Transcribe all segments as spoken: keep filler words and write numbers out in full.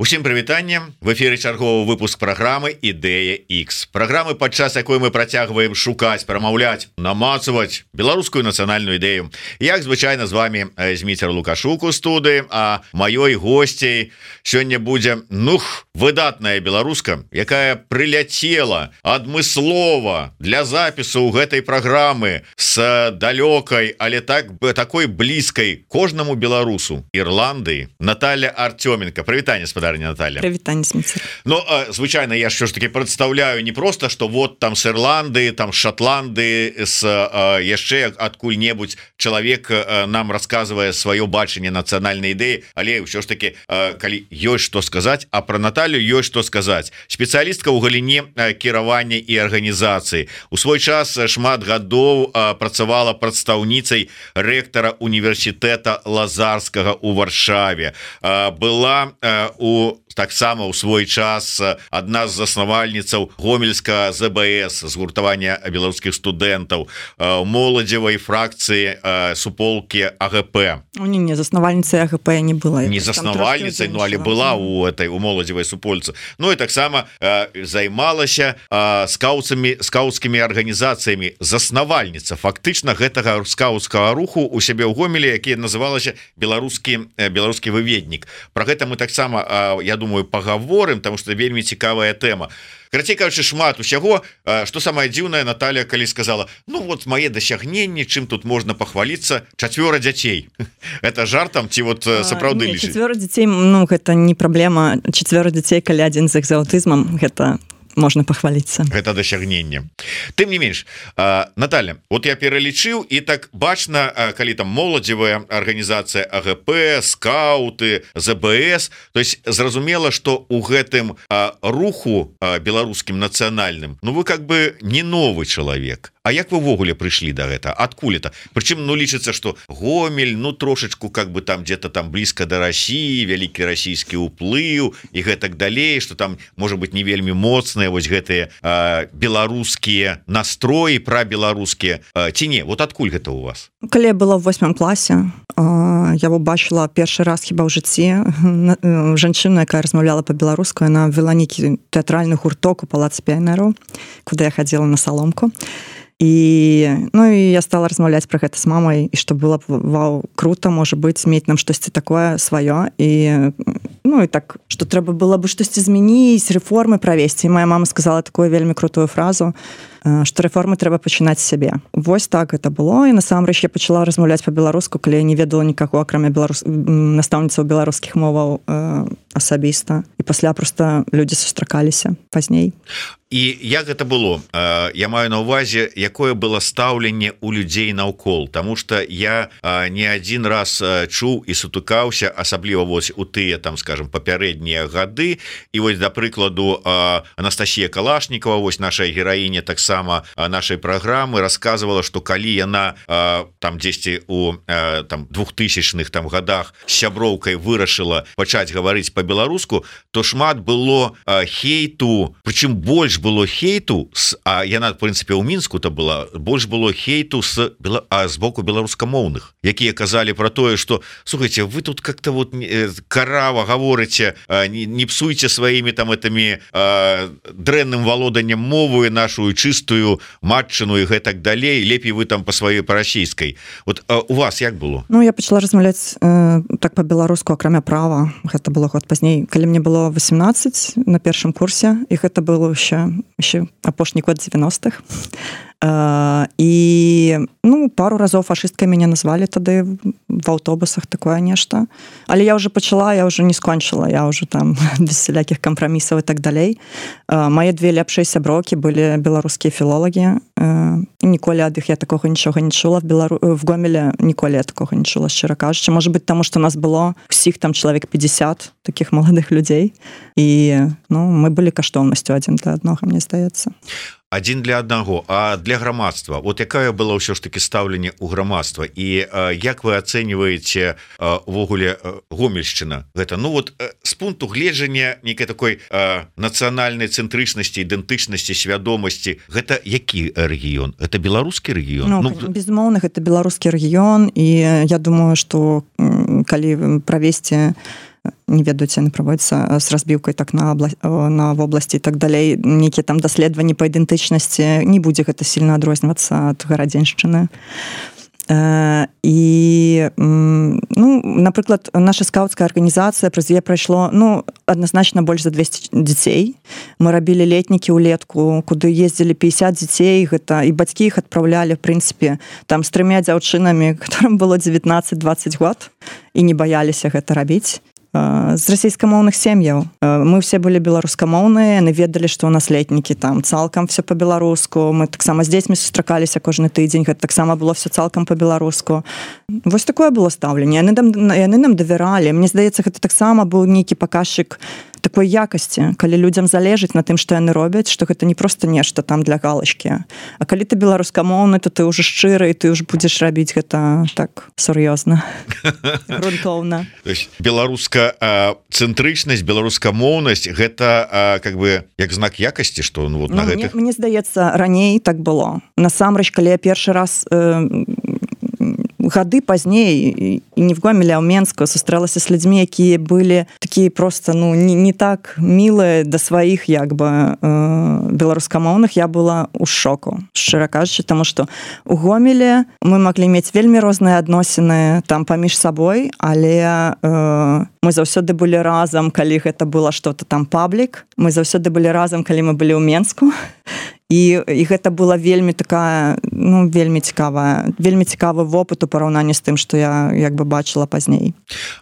Усім прывітанне, в эфіры чарговы выпуск праграмы Ідэя X. Праграмы, падчас якой мы працягваем шукаць, прамаўляць, намацаваць беларускую нацыянальную ідэю. Як звычайна з вами Зміцер Лукашук у студыі, а маёй госцей сёння будзе нух выдатная беларуска, якая прыляцела адмыслова для запісу ў гэтай праграмы з далёкай, але так такой блізкай кожнаму беларусу Ірландыі. Наталья Артёменко. Прывітанне, спадар Наталья. Привитание, Смитер. Ну, звычайно, я все ж таки представляю не просто, что вот там с Ирландии, там с Шотландии, с яшчэ адкуль-небудзь человек нам рассказывая свое бачанне национальной идеи, але все ж таки, калі ёсць что сказать, а про Наталью ёсць что сказать. Специалистка ў галіне кіравання и организации. У свой час шмат гадоў працавала прадстаўніцай ректора университета Лазарскага у Варшаве. Была у таксама ў свой час адна з заснавальніцаў гомельска ЗБС, згуртавання беларускіх студэнтаў, моладзевай фракцыі суполкі АГП. У не, не заснавальніцай АГП не была. Не заснавальніцай, ну але была у этой у моладзевай супольцы. Ну і таксама займалася скаутцамі, скаутскімі арганізацыямі. Заснавальніца фактычна гэтага скаутскага руху у сябе ў Гомелі, які называлася беларускі беларускі выведнік. Про гэта мы таксама, я думаю, поговорим, потому что вельмі цікавая тема. Карацей кажучы, шмат усяго. Что самое дзіўнае, Наталья калі сказала: ну вот мае дасягненні, чым тут можна пахваліцца, чацвёра дзяцей. Это жартам ці вот сапраўды лічыць? Чацвёра дзяцей, ну гэта не праблема. Чацвёра дзяцей, калі адзін з іх з аўтызмам, гэта можно похвалиться. Это досягнение. Тым не менш, Наталья, вот я пералічыў, і так бачна, калі там моладзевая организация АГП, скауты, ЗБС, то есть зразумела, что у гэтым руху беларускім нацыянальным, ну вы как бы не новый человек. А як вы ввогуле прыйшлі до гэта? Адкуль это? Прычым, ну лічыцца, что Гомель, ну трошечку как бы там где-то там близко до России, вялікі расійскі ўплыў і гэтак далей, что там может быть не вельмі моцныя вось гэтыя э, беларускія настроі, пра беларускія э, ці не? Вот адкуль гэта у вас? Калі я была в восьмым класе, э, я убачыла першы раз хіба ў жыцці э, жанчыну, якая размаўляла по-беларуску. Она вела нейкі тэатральны гурток у палацы піянераў, куды я хадзіла на саломку. І, ну, і я стала размаўляць пра гэта з мамай, і што было б, вау, круто, можа быць, мець нам штосьці такое сваё. І, ну, і так, што трэба было бы штосьці змяніць, рэформы правесці. І моя мама сказала такую вельмі крутую фразу, што рэформы трэба пачынаць з сябе. Вось так гэта было, і насамрэч я пачала размаўляць па-беларуску, калі я не ведала нікаго, акрамя беларус... настаўніцаў беларускіх моваў э, асабіста. І пасля проста людзі сустракаліся пазней. І як гэта было? Я маю на ўвазе, якое было стаўленне у людзей наўкол, тому что я не один раз чуў і сутыкаўся, асабліва вось у тыя там, скажем, папярэднія гады. І вось, да прыкладу, Анастасія Калашнікова, вось наша гераіня таксама нашай праграмы, расказвала, што калі яна там дзесьці у там двухтысячных там годах з сяброўкай вырашыла пачаць гаварыць по-беларуску, то шмат было хейту, прычым больш было хейту, а яна, в принципе, у Мінску-то была, больш было хейту с, а, з боку беларускамоўных, якія казалі про тое, что, слухайте, вы тут как-то вот карава гаворыце, не, не псуйте своими там этими э, дрэнным валоданнем мовы нашу чистую матчыну і гэтак далей, лепей вы там по сваёй па-расійскай. Вот э, у вас як было? Ну, я пачала размаўляць э, так по-беларуску, акрамя права. Гэта было год пазней, калі мне было восемнадцать на першым курсе, і гэта было ще еще апошні год девяностых. Uh, і ну пару разоў фашысткай мяне назвалі тады в аўтобусах, такое нешта. Але я уже пачала, я уже не скончыла, я уже там без всялякіх кампрамісаў і так далей. Uh, мае две лепшыя сяброўкі былі беларускія філолагі. Uh, ніколі ад іх я такога нічога не чула в Белару... в Гомелі, ніколі я такога не чула, шчыра кажучы. Можа быць, таму што нас было усіх там чалавек пятьдесят такіх маладых людзей. І ну мы былі каштоўнасцю адзін для аднога, мне здаецца. Адзін для аднаго, а для грамадства, вот якая была ўсё ж таки стаўленне ў грамадства, і а, як вы ацэньваеце увогуле Гомельшчына гэта? Ну вот з пункту гледжання нейкай такой а, нацыянальнай цэнтрычнасці, ідэнтычнасці, свядомасці, гэта які рэгіён? Это беларускі рэгіён? Ну, ну, безумоўна, гэта беларускі рэгіён, і я думаю, што калі правесці не ведаюць, яны праводзяцца з разбіўкай так на, обла... на вобласці і так далей, нейкія там даследаванні па ідэнтычнасці, не будзе гэта сильно адрознівацца ад гарадзеншчыны. І, ну, напрыклад, наша скаўцкая арганізацыя, праз яе прайшло, ну, адназначна больш за двесце дзяцей. Мы рабілі летнікі ўлетку, куды ездзілі пятьдесят дзяцей, гэта, і бацькі іх адпраўлялі, в прынцыпе, там з трымя дзяўчынамі, которым было девятнадцать-двадцать год, і не баяліся гэта рабіць. З расійскамоўных сем'яў. Мы все былі беларускамоўныя, яны ведалі, што ў нас летнікі там цалкам все па-беларуску. Мы таксама з дзецьмі сустракаліся кожны тыдзень, гэта таксама было все цалкам па-беларуску. Вось такое было стаўленне. Яны, яны нам давяралі. Мне здаецца, гэта таксама быў нейкі паказчык такой якасці, калі людзям залежыць на тым, што яны робяць, што гэта не проста нешта там для галачкі. А калі ты беларускамоўны, то ты ўжо шчыры, і ты ўжо будзеш рабіць гэта так сур'ёзна, грунтоўна. Беларуска цэнтрычнасць, беларускамоўнасць гэта как бы як знак якасці, што ну, вот, ну, на гэтых... Мне, мне здаецца, раней так было. Насамрэч, калі я першы раз э, гады пазней і не в Гомелі, а ў Менску сустрэлася з людзьмі, якія былі такія просто ну не, не так мілыя да сваіх як бы э, беларускамоўных, я была ў шоку, шчыра кажучы, таму што у Гомелі мы маглі мець вельмі розныя адносіны там паміж сабой, але э, мы заўсёды былі разам, калі гэта было што-то там паблік, мы заўсёды былі разам, калі мы былі ў Менску. І, і гэта была вельмі такая, ну, вельмі цікавая, вельмі цікавы вопыт у параўнанні з тым, што я як бы бачыла пазней.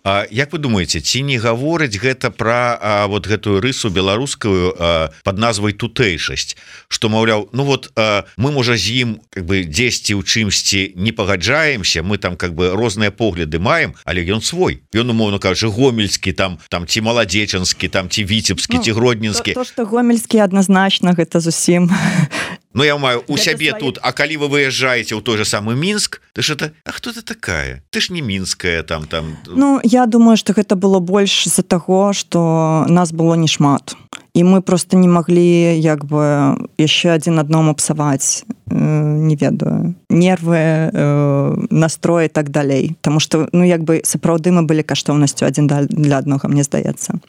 А, як вы думаеце, ці не гаворыць гэта пра а, вот гэтую рысу беларускую а, пад назвай тутэйшасць, што, маўляў, ну вот а, мы, можа, з ім как бы дзесьці ў чымсьці не пагаджаемся, мы там как бы розныя погляды маем, але ён свой. Ён, умоўна кажучы, гомельскі, там, там ці маладзечанскі, там ці віцебскі, ну, ці гродненскі. То, то, што гомельскі адназначна, гэта зусім... Ну, я маю у сябе свае... тут, а калі вы выязджаеце ў той же самы Мінск, ты ж это, а хто ты такая? Ты ж не мінская там там. Ну, я думаю, што гэта было больш з-за таго, што нас было не шмат. І мы просто не маглі як бы яшчэ адзін адному псаваць, э, не ведаю, нервы, э, настрой і так далей. Таму што, ну, як бы сапраўды мы былі каштоўнасцю адзін для аднога, мне здаецца.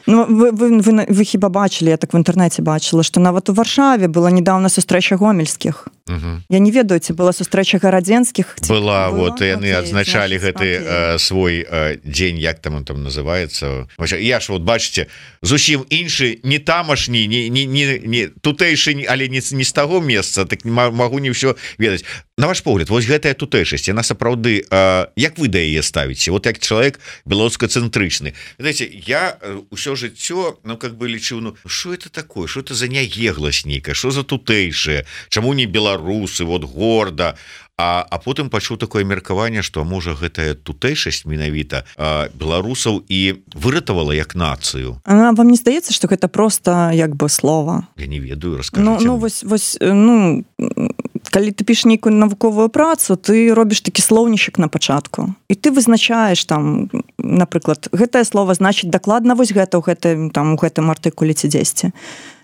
Ну, вы, вы, вы, вы хіба бачылі, я так в інтэрнэце бачыла, што нават у Варшаве была недавно сустрэча гомельскіх. Угу. Я не ведаю, ці была сустрэча гарадзенскіх. Была, вот, і яны адзначалі гэты э, свой э, дзень, як там он там называецца. Я ж, вот, бачыце, зусім іншы, не тамашні, не, не, не, не тутэйшы, але не, не з таго месца, так магу не ўсё ведаць. На ваш погляд, вось гэтая тутэйшасць, яна сапраўды, э, як вы да яе ставіце? Вот як чалавек беларускацэнтрычны. Знаете, я ўсё жыццё, ну, как бы лічыў, ну, што это такое? Што это за няегласць нейкая? Што за тутэйшае? Чаму не беларусы, вот горда? А, а потым пачуў такое меркаванне, што можа гэтая тутэйшасць менавіта а, беларусаў і выратавала як нацыю. А вам не здаецца, што гэта проста як бы слова? Я не ведаю, раскажыце. Ну, ну вось, вось, ну, калі ты пішеш нейкую навуковую працу, ты робіш такі слоўнічак на пачатку. І ты вызначаеш там, напрыклад, гэтае слово значыць дакладна вось гэта ў гэтым, там, у гэтым артыкуле ці дзесьці.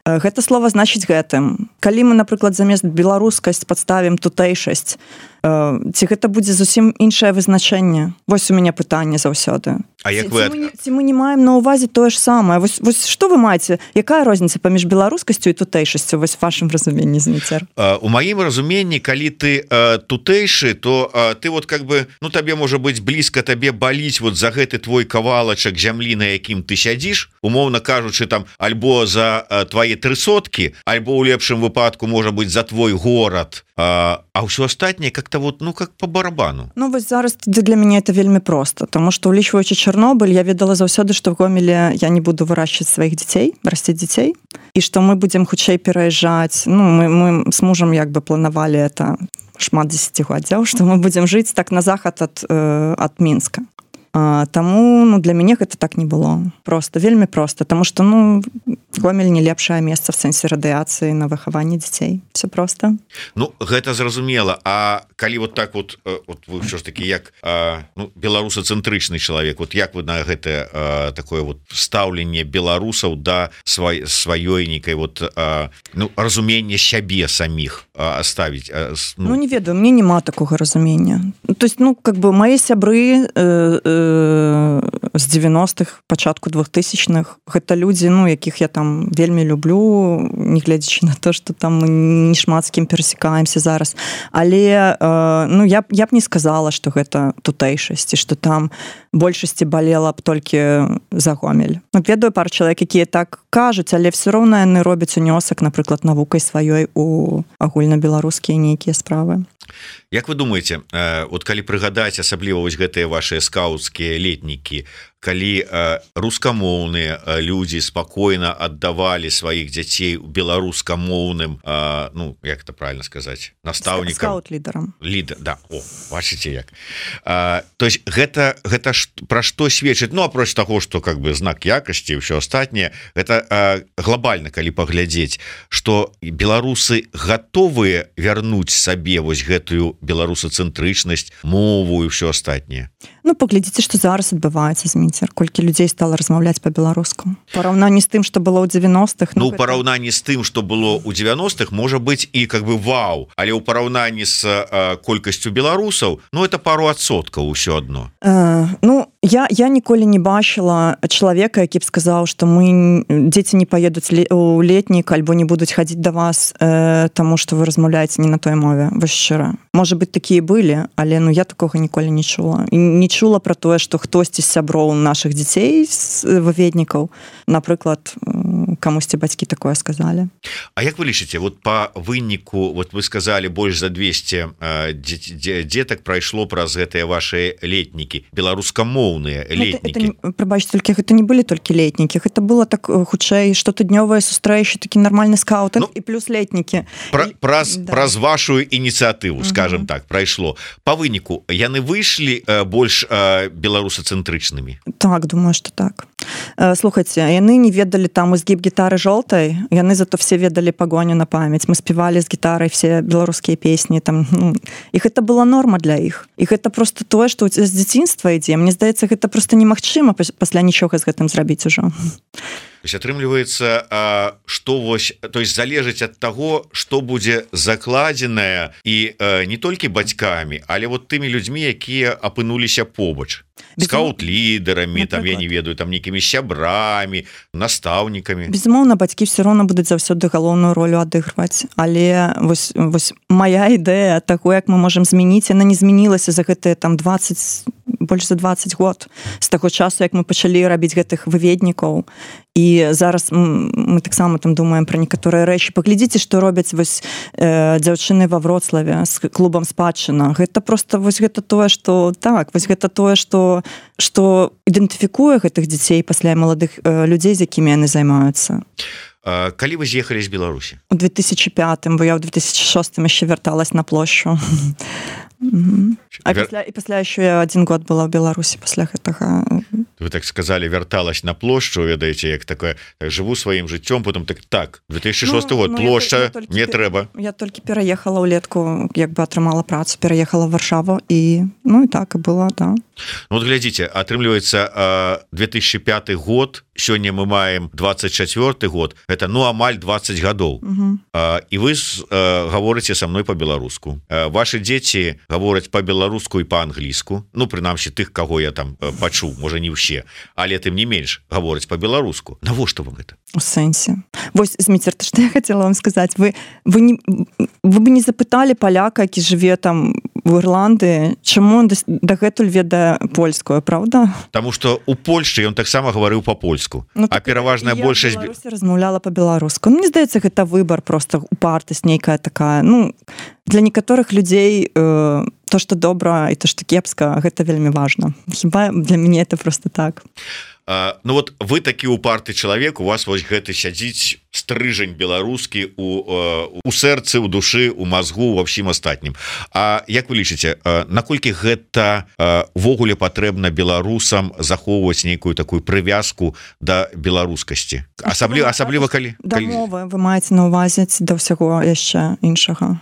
Гэта слова значыць гэтым. Калі мы, напрыклад, замест беларускасць падставім тутэйшасць, ці гэта будзе зусім іншае вызначэнне? Вось у мяне пытанне заўсёды. А як ці, вы... ці, мы, ці мы не маем на ўвазе тое ж самае? Вось, вось што вы маеце? Якая розніца паміж беларускасцю і тутэйшасцю? Вось в вашым разуменні, Зміцер. У маім разуменні, калі ты а, тутэйшы, то а, ты вот как бы, ну табе можа быць блізка, табе баліць вот за гэты твой кавалачак зямлі, на якім ты сядзіш, умоўна кажучы, там альбо за а, твае трысоткі, альбо ў лепшым выпадку можа быць за твой горад, а, а ўсё астатняе как-то вот, ну как по барабану. Ну вось зараз для мяне это вельмі проста, таму што улічваючы Чарнобыль, я ведала заўсёды, што в Гомелі я не буду вырашчваць сваіх дзяцей, расціць дзяцей, і што мы будзем хутчэй пераязджаць. Ну мы, мы з мужам як бы планавалі это шмат дзесяцігоддзяў, што мы будзем жыць так на захад ад, э, ад Мінска. А, таму, ну, для мяне гэта так не было. Просто, вельмі проста, таму што, ну, Гомель не лепшае месца в сэнсе радыяцыі на выхаванне дзяцей. Все проста. Ну, гэта зразумела. А калі вот так вот, вот вы ўсё ж такі як ну, беларусацэнтрычны чалавек, вот як вы на гэтае такое вот стаўленне беларусаў да свай, сваёй нейкай вот ну, разуменне сябе саміх аставіць? Ну, ну, не ведаю, мне няма такога разумення. То есть, ну, как бы, мае сябры э, э, з девяностых, пачатку двухтысячных. Гэта людзі, ну, якіх я там вельмі люблю, не гледзячы на то, што там мы не шмат з кім перасекаемся зараз. Але, ну, я, я б не сказала, што гэта тутэйшасць, што там большасці балела б толькі за Гомель. Ну, ведаю пару чалавек, якія так кажуць, але все роўна яны робяць унёсак, напрыклад, навукай сваёй у агульнабеларускія нейкія справы. Як вы думаеце, вот калі прыгадаць асабліва вось гэтыя вашыя скаўцкія летнікі, калі рускамоўныя людзі спакойна аддавалі сваіх дзяцей беларускамоўным, ну, як это правильно сказаць, настаўнікам, скаут-лідарам. Лідар, да, о, бачыце як. То есть гэта, гэта ж, пра што сведчыць? Ну, апроч таго, што как бы знак якасці і ўсё астатняе, гэта глобальна, калі паглядзець, што беларусы гатовыя вярнуць сабе вось гэтую беларусацэнтрычнасць, мову і ўсё астатняе. Ну, паглядзіце, што зараз адбываецца, Зміцер, колькі людзей стала размаўляць па-беларуску. Параўнанні з тым, што было ў дзевяностых. Ну, у гэта... параўнанні з тым, што было ў дзевяностых, можа быць і как бы вау, але ў параўнанні з а, колькасцю беларусаў, ну, это пару адсоткаў усё адно. Э, ну, я, я ніколі не бачыла чалавека, які б сказаў, што мы дзеці не паедуць у летнік альбо не будуць хадзіць да вас, э, таму што вы размаўляеце не на той мове, вось шчыра. Можа быць, такія былі, але ну, я такога ніколі не чула. І не чула пра тое, што хтосьці з сяброў нашых дзяцей, выведнікаў, напрыклад, камусьці бацькі такое сказалі. А як вы лічыце, вот па выніку, вот вы сказалі, больш за двести э, дзетак прайшло праз гэтыя ваши летнікі, беларускамоўныя летнікі. Прабачце, толькі гэта не былі толькі летнікі, гэта было так хутчэй штотыднёвыя сустрэчы, такі нармальны скаутинг, ну, і плюс летнікі. Пра, праз, да. Праз вашу ініцыятыву, скажем, угу. так, прайшло. Па выніку, яны выйшлі э, больш э, беларусацэнтрычнымі? Так, думаю, што так. Э, слухайце, яны не ведалі там ізгіб гітары жолтай, яны зато все ведалі пагоню на памяць. Мы спявалі з гітарай все беларускія песні, там, ну, іх это была норма для іх. Іх это просто тое, што з дзяцінства ідзе. Мне здаецца, гэта просто немагчыма пасля нічога з гэтым зрабіць ужо. То есть атрымліваецца, што вось, то есть залежыць ад таго, што будзе закладзенае і не толькі бацькамі, але вот тымі людзьмі, якія апынуліся побач. Скаут-лідарамі, там, я не ведаю, там нейкімі сябрамі, настаўнікамі. Безумоўна, бацькі все роўна будуць заўсёды галоўную ролю адыгрываць, але вось, вось моя ідэя таго, як мы можам змяніць, яна не змянілася за гэтыя там двадцать, больш за двадцать год з таго часу, як мы пачалі рабіць гэтых выведнікаў. І зараз мы таксама там думаем пра некаторыя рэчы. Паглядзіце, што робяць вось э, дзяўчыны ва Вроцлаве з клубам спадчына. Гэта просто вось гэта тое, што так, вось гэта тое, што што ідэнтыфікуе гэтых дзяцей пасля маладых э, людзей, з якімі яны займаюцца. А, калі вы з'ехалі з Беларусі? У две тысячи пятым, бо я ў две тысячи шостым яшчэ вярталась на плошчу. Mm-hmm. А Вер... пасля, і пасля яшчэ я один год была ў Беларусі пасля гэтага. Вы так сказали, вярталась на плошчу, ведаеце, як такое, так, жыву сваім жыццём, потом так, так, две тысячи шосты ну, год, ну, плошча, я, я не пер... трэба. Я толькі пераехала ўлетку, як бы атрымала працу, пераехала в Варшаву, і, ну, і так і было, да. Ну, вот глядзіце, атрымліваецца, две тысячи пятый год, сёння мы маем двадцать четвёрты год, это, ну, амаль двадцать гадоў. Uh-huh. І вы гаворыце са мной па-беларуску. Вашы дзеці гавораць па-беларуску і па-англійску, ну, прынамсі, тых, каго я там пачуў, можа, не ўсе, але тым не менш гавораць па-беларуску. Навошта вам гэта? У сэнсе. Вось, Зміцер, то, што я хацела вам сказаць, вы, вы, не, вы бы не запыталі паляка, які жыве там в Ірландыі, чаму он дагэтуль ведае польскую, правда? Таму што у Польшчы ён таксама гаварыў па-польску, ну, а пераважная большасць... Я ў Беларусі размаўляла па-беларуску. Ну, мне здаецца, гэта выбар, просто упартасць нейкая такая. Ну, для некаторых людзей э, то, што добра і то, што кепска, гэта вельмі важна. Хіба для мяне это просто так. А, ну вот вы такі упарты чалавек, у вас вось гэты сядзіць стрыжань беларускі у, у сэрцы, у душы, у мазгу, ва ўсім астатнім. А як вы лічыце, наколькі гэта ввогуле патрэбна беларусам захоўваць нейкую такую прывязку да беларускасці? Асабліва, асабліва калі... Да мовы вы маеце на ўвазе да ўсяго яшчэ іншага.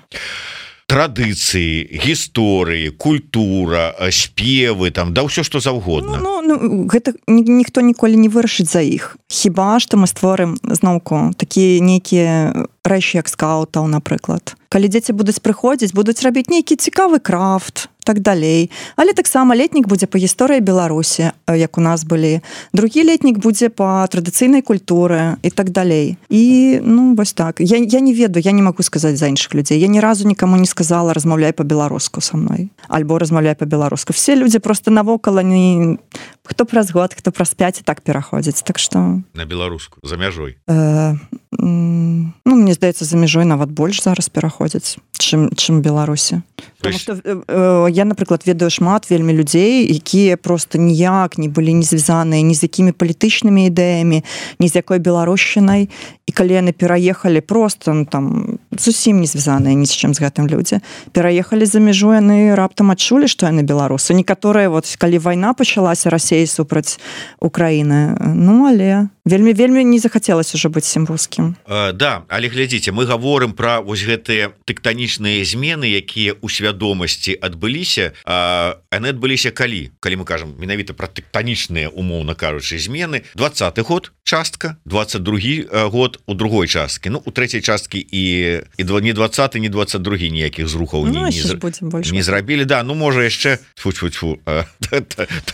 Традыцыі, гісторыі, культура, спевы, там, да ўсё, што заўгодна. Ну, ну, ну, гэта ні, ніхто ніколі не вырашыць за іх. Хіба што мы створым, зноўку, такія нейкія рэчы, як скаутаў, напрыклад. Калі дзеці будуць прыходзіць, будуць рабіць нейкі цікавы крафт, так далей. Але таксама летнік будзе па гісторыі Беларусі, як у нас былі. Другі летнік будзе па традыцыйнай культуры і так далей. І, ну, вось так. Я, я не ведаю, я не магу сказаць за іншых людзей. Я ні разу нікому не сказала, размаўляй па-беларуску са мной. Альбо размаўляй па-беларуску. Все людзі просто навокала не... Хто праз год, хто праз пяць і так пераходзіць. Так што... На беларуску, за мяжой. Э, ну, мне здаецца, за мяжой нават больш зараз пераходзяць, чым, чым Беларусі. Потому есть... што э, я, напрыклад, ведаю шмат вельмі людзей, якія просто ніяк не былі не звязаныя ні з якімі палітычнымі ідэямі, ні з якой беларушчынай. І калі яны пераехалі просто, ну, там, зусім не звязаныя ні з чым з гэтым людзі, пераехалі за мяжу, яны раптам адчулі, што яны беларусы. Некаторыя, вот, калі вайна пачалася, Расеі супраць Украіны, ну, але вельмі, вельмі не захацелася ўжо быць сім рускім. Uh, да, але глядзіце, мы гаворым пра вось гэтыя тэктанічныя змены, якія ў свядомасці адбыліся, а яны адбыліся калі? Калі мы кажам менавіта пра тэктанічныя, умоўна кажучы, змены, двадцаты год частка, двадцать другі год у другой часткі, ну, у трэцяй часткі і, і не двадцаты, не двадцать другі ніякіх зрухаў ну, не, не, не зрабілі, да, ну, можа яшчэ тьфу-тьфу-тьфу,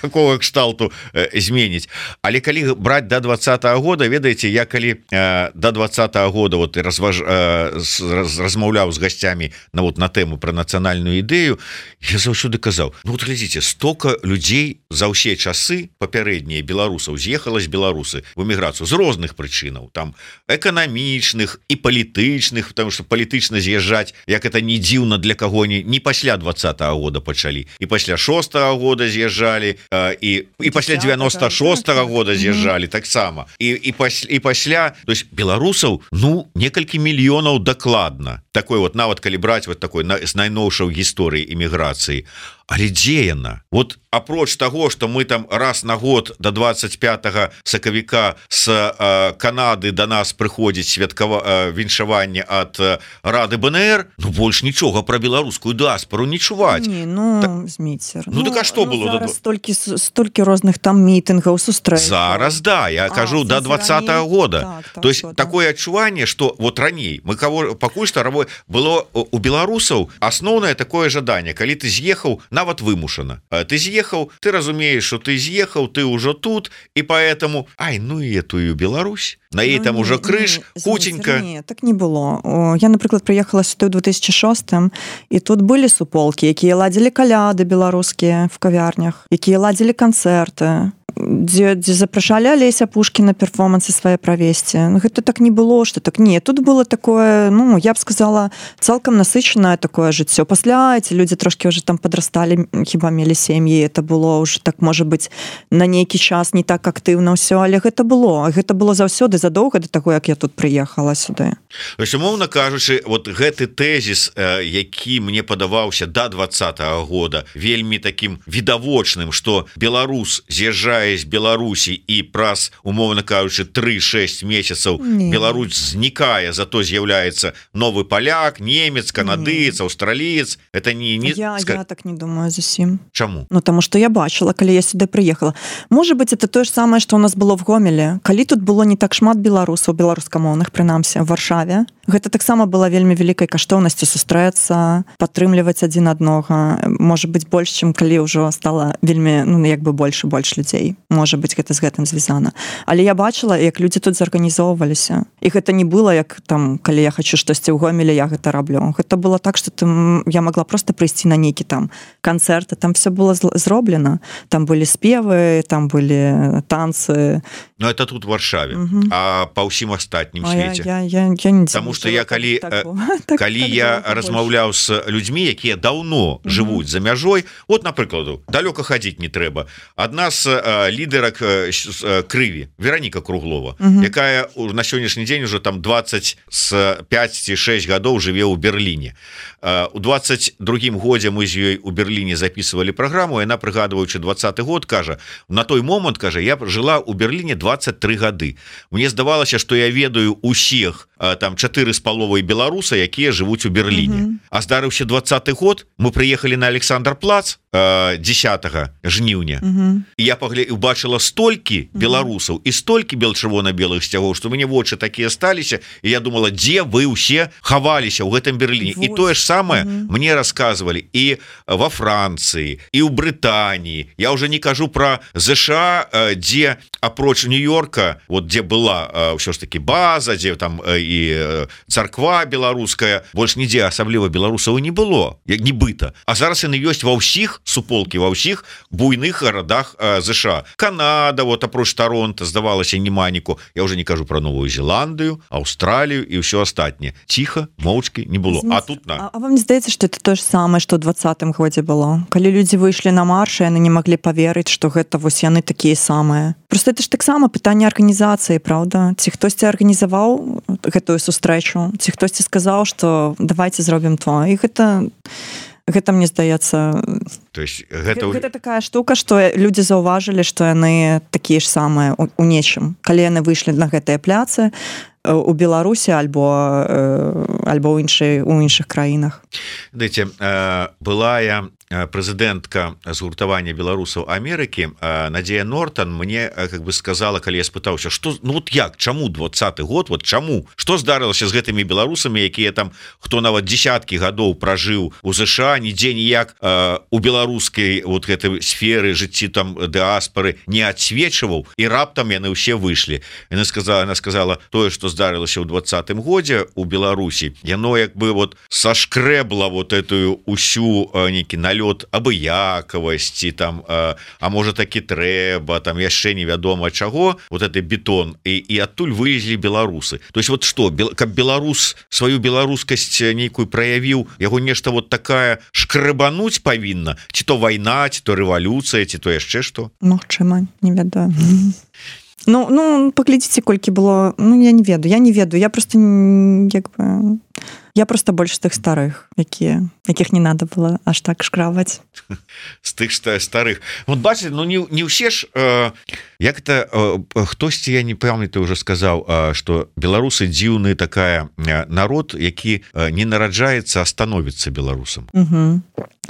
такого кшталту зменіць. Але калі браць да двадцатага года, ведаеце, я калі да двадцатага года вот разваж, размаўляў з гасцямі на, вот, на тэму пра нацыянальную ідэю, я заўсёды казаў, ну, вот глядзіце, стока людзей за ўсе часы папярэднія беларусаў з'ехала з Беларусы в эміграцыю з розных прычынаў, там эканамічных і палітычных, потому что палітычна з'язджаць, як это не дзіўна для каго не, не пасля двадцатага года пачалі, і пасля шостага года з'язджалі, і, і пасля девяносто шостага года з'язджалі таксама, і, і, пасля, і пасля, то есть беларусаў, ну, некалькі мільёнаў дакладна, такой вот, нават калі браць вот такой на, з найноўшаў гісторыі эміграцыі. Але дзе яна? Вот апроч таго, што мы там раз на год до двадцать пятага сакавіка з э, Канады до нас прыходзіць святкава э, віншаванне ад э, Рады БНР, ну больш нічога пра беларускую дыаспору не чуваць. Не, ну, так, Зміцер. Ну, ну так а што ну, было? Зараз столькі, столькі розных там мітынгаў, сустрэч. Зараз, да, я а, кажу, до двадцатага года. Так, так, То есть так. Такое адчуванне, што вот раней, мы кого пакуль што было у беларусаў асноўнае такое жаданне, калі ты з'ехаў, нават вымушана. Ты з'ехаў, ты разумееш, что ты з'ехаў, ты ўжо тут, і поэтому, ай, ну і этую Беларусь, на ей ну, там уже крыш, хутенька. Не, так не было. Я, напрыклад, прыехала сюды ў две тысячи шостым, і тут былі суполкі, якія ладзілі каляды беларускія в кавярнях, якія ладзілі канцэрты, дзе, дзе запрашалі Алеся Пушкіна перформансы свае правесці. Ну, гэта так не было, што так не. Тут было такое, ну, я б сказала, цалкам насычанае такое жыццё. Пасля эти людзі трошки уже там падрасталі, хіба мелі сем'і, это было уже так, можа быць, на нейкі час не так актыўна ўсё, але гэта было. Гэта было заўсёды задоўга да таго, як я тут прыехала сюды. То есть, умоўна кажучы, вот гэты тэзіс, які мне падаваўся да двадцатага года, вельмі таким відавочным, што беларус з'язджае з Беларусі і праз, умоўна кажучы, три-шесть месяцаў не. Беларусь знікае, зато з'яўляецца новы паляк, немец, канадыец, аўстраліец. Это не, не... Я, я так не думаю зусім. Чаму? Ну, таму што я бачыла, калі я сюды прыехала. Можа быць, это тое ж самае, што у нас было в Гомелі. Калі тут было не так шмат беларусаў, беларускамоўных, прынамсі, в Варшаве, гэта таксама была вельмі вялікай каштоўнасцю сустрэцца, падтрымліваць адзін аднога. Можа быць, больш, чым калі ўжо стала вельмі, ну, як бы больш і больш людзей. Можа быць, гэта з гэтым звязана. Але я бачыла, як людзі тут зарганізоўваліся. І гэта не было, як там, калі я хочу штосьці ў Гомелі, я гэта раблю. Гэта было так, што там, я могла просто прыйсці на нейкі там канцэрт, там все было зроблена. Там былі спевы, там былі танцы. Ну, это тут в Варшаве. Угу. А па ўсім астатнім свеце. Я, я, я, я не Таму што я калі, так, так, калі так, я так, размаўляў з людзьмі, якія даўно угу. жывуць за мяжой, от, напрыкладу, далёка хадзіць не трэба. Адна з э, лідарак э, крыві, Вераніка Круглова, угу. якая на сённяшні дзень уже там двадцать пять ці шесть гадоў жыве ў Берліне. Э, у двадцать другім годзе мы з ёй у Берліне записывалі праграму, яна, прыгадваючы двадцаты год, кажа, на той момант, кажа, я жыла ў Берліне двадцать три гады. Мне здавалася, што я ведаю усіх там чатыры з паловай беларуса, якія жывуць у Берліне. Mm -hmm. А здарыўся двадцаты год, мы прыехалі на Александр-плац десятого жніўня. Mm -hmm. І я паглядзела, убачыла столькі беларусаў і столькі бел-чырвона-белых сцягоў, што мне вочы такія сталіся, і я думала, дзе вы ўсе хаваліся ў гэтым Берліне. Вот. І тое ж самае mm -hmm. мне расказвалі і во Францыі, і ў Брытаніі. Я уже не кажу про ЗША, дзе апроч Нью-Йорка, вот дзе была ўсё ж таки база, дзе там і царква беларуская, больш нідзе асабліва беларусаў не было, як нібыта. А зараз яны ёсць ва ўсіх суполкі, ва ўсіх буйных гарадах ЗША. Канада, вот апроч Торонто, здавалася, неманіку. Я уже не кажу про Новую Зеландыю, Аўстралію і ўсё астатняе. Ціха, моўчкі не было. А тут на. А, а вам не здаецца, што это то ж самае, што ў двадцатым годзе было? Калі людзі выйшлі на марш, яны не маглі паверыць, што гэта вось яны такія самыя. Просто это ж таксама пытанне арганізацыі, правда? Ці хтосьці арганізаваў гэтую сустрэчу, ці хтосьці сказаў, што давайте зробім то. І гэта гэта мне здаецца, то есть гэта... гэта такая штука, што людзі заўважылі, што яны такія ж самыя у, у нечым. Калі яны выйшлі на гэтыя пляцы у Беларусі альбо альбо ў іншай у іншых краінах. Дайте, былая прэзідэнтка згуртавання беларусаў Амерыкі Надзея Нортон мне как бы сказала, калі я спытаўся, што ну вот як, чаму двадцаты год, вот чаму, што здарылася з гэтымі беларусамі, якія там, хто нават десяткі гадоў пражыў у ЗША, нідзе ніяк у беларускай вот гэтай сферы жыцці там дыаспары не адсвечваў, і раптам яны ўсе выйшлі. Яна сказала, она сказала, тое, што здарылася ў двадцатым годзе у Беларусі, яно як бы вот сашкрэбла вот этую усю нейкі налёт абыякавасці там, а, а можа такі трэба, там яшчэ невядома чаго, вот это бетон, і, і адтуль вылезлі беларусы. То есть вот што, каб беларус сваю беларускасць нейкую праявіў, яго нешта вот такая шкрэбануць павінна, ці то вайна, ці то рэвалюцыя, ці то яшчэ што? Магчыма, не ведаю. Ну, ну, паглядзіце, колькі было, ну, я не ведаю, я не ведаю, я просто, як бы, я просто больш з тых старых, якія, якіх не надо было аж так шкраваць. З тых старых. Вот бачыце, ну, не, не ўсе ж, э, як это, э, хтосьці, я не памятаю, уже сказаў, э, што беларусы дзіўны такая э, народ, які э, не нараджаецца, а становіцца беларусам. Угу.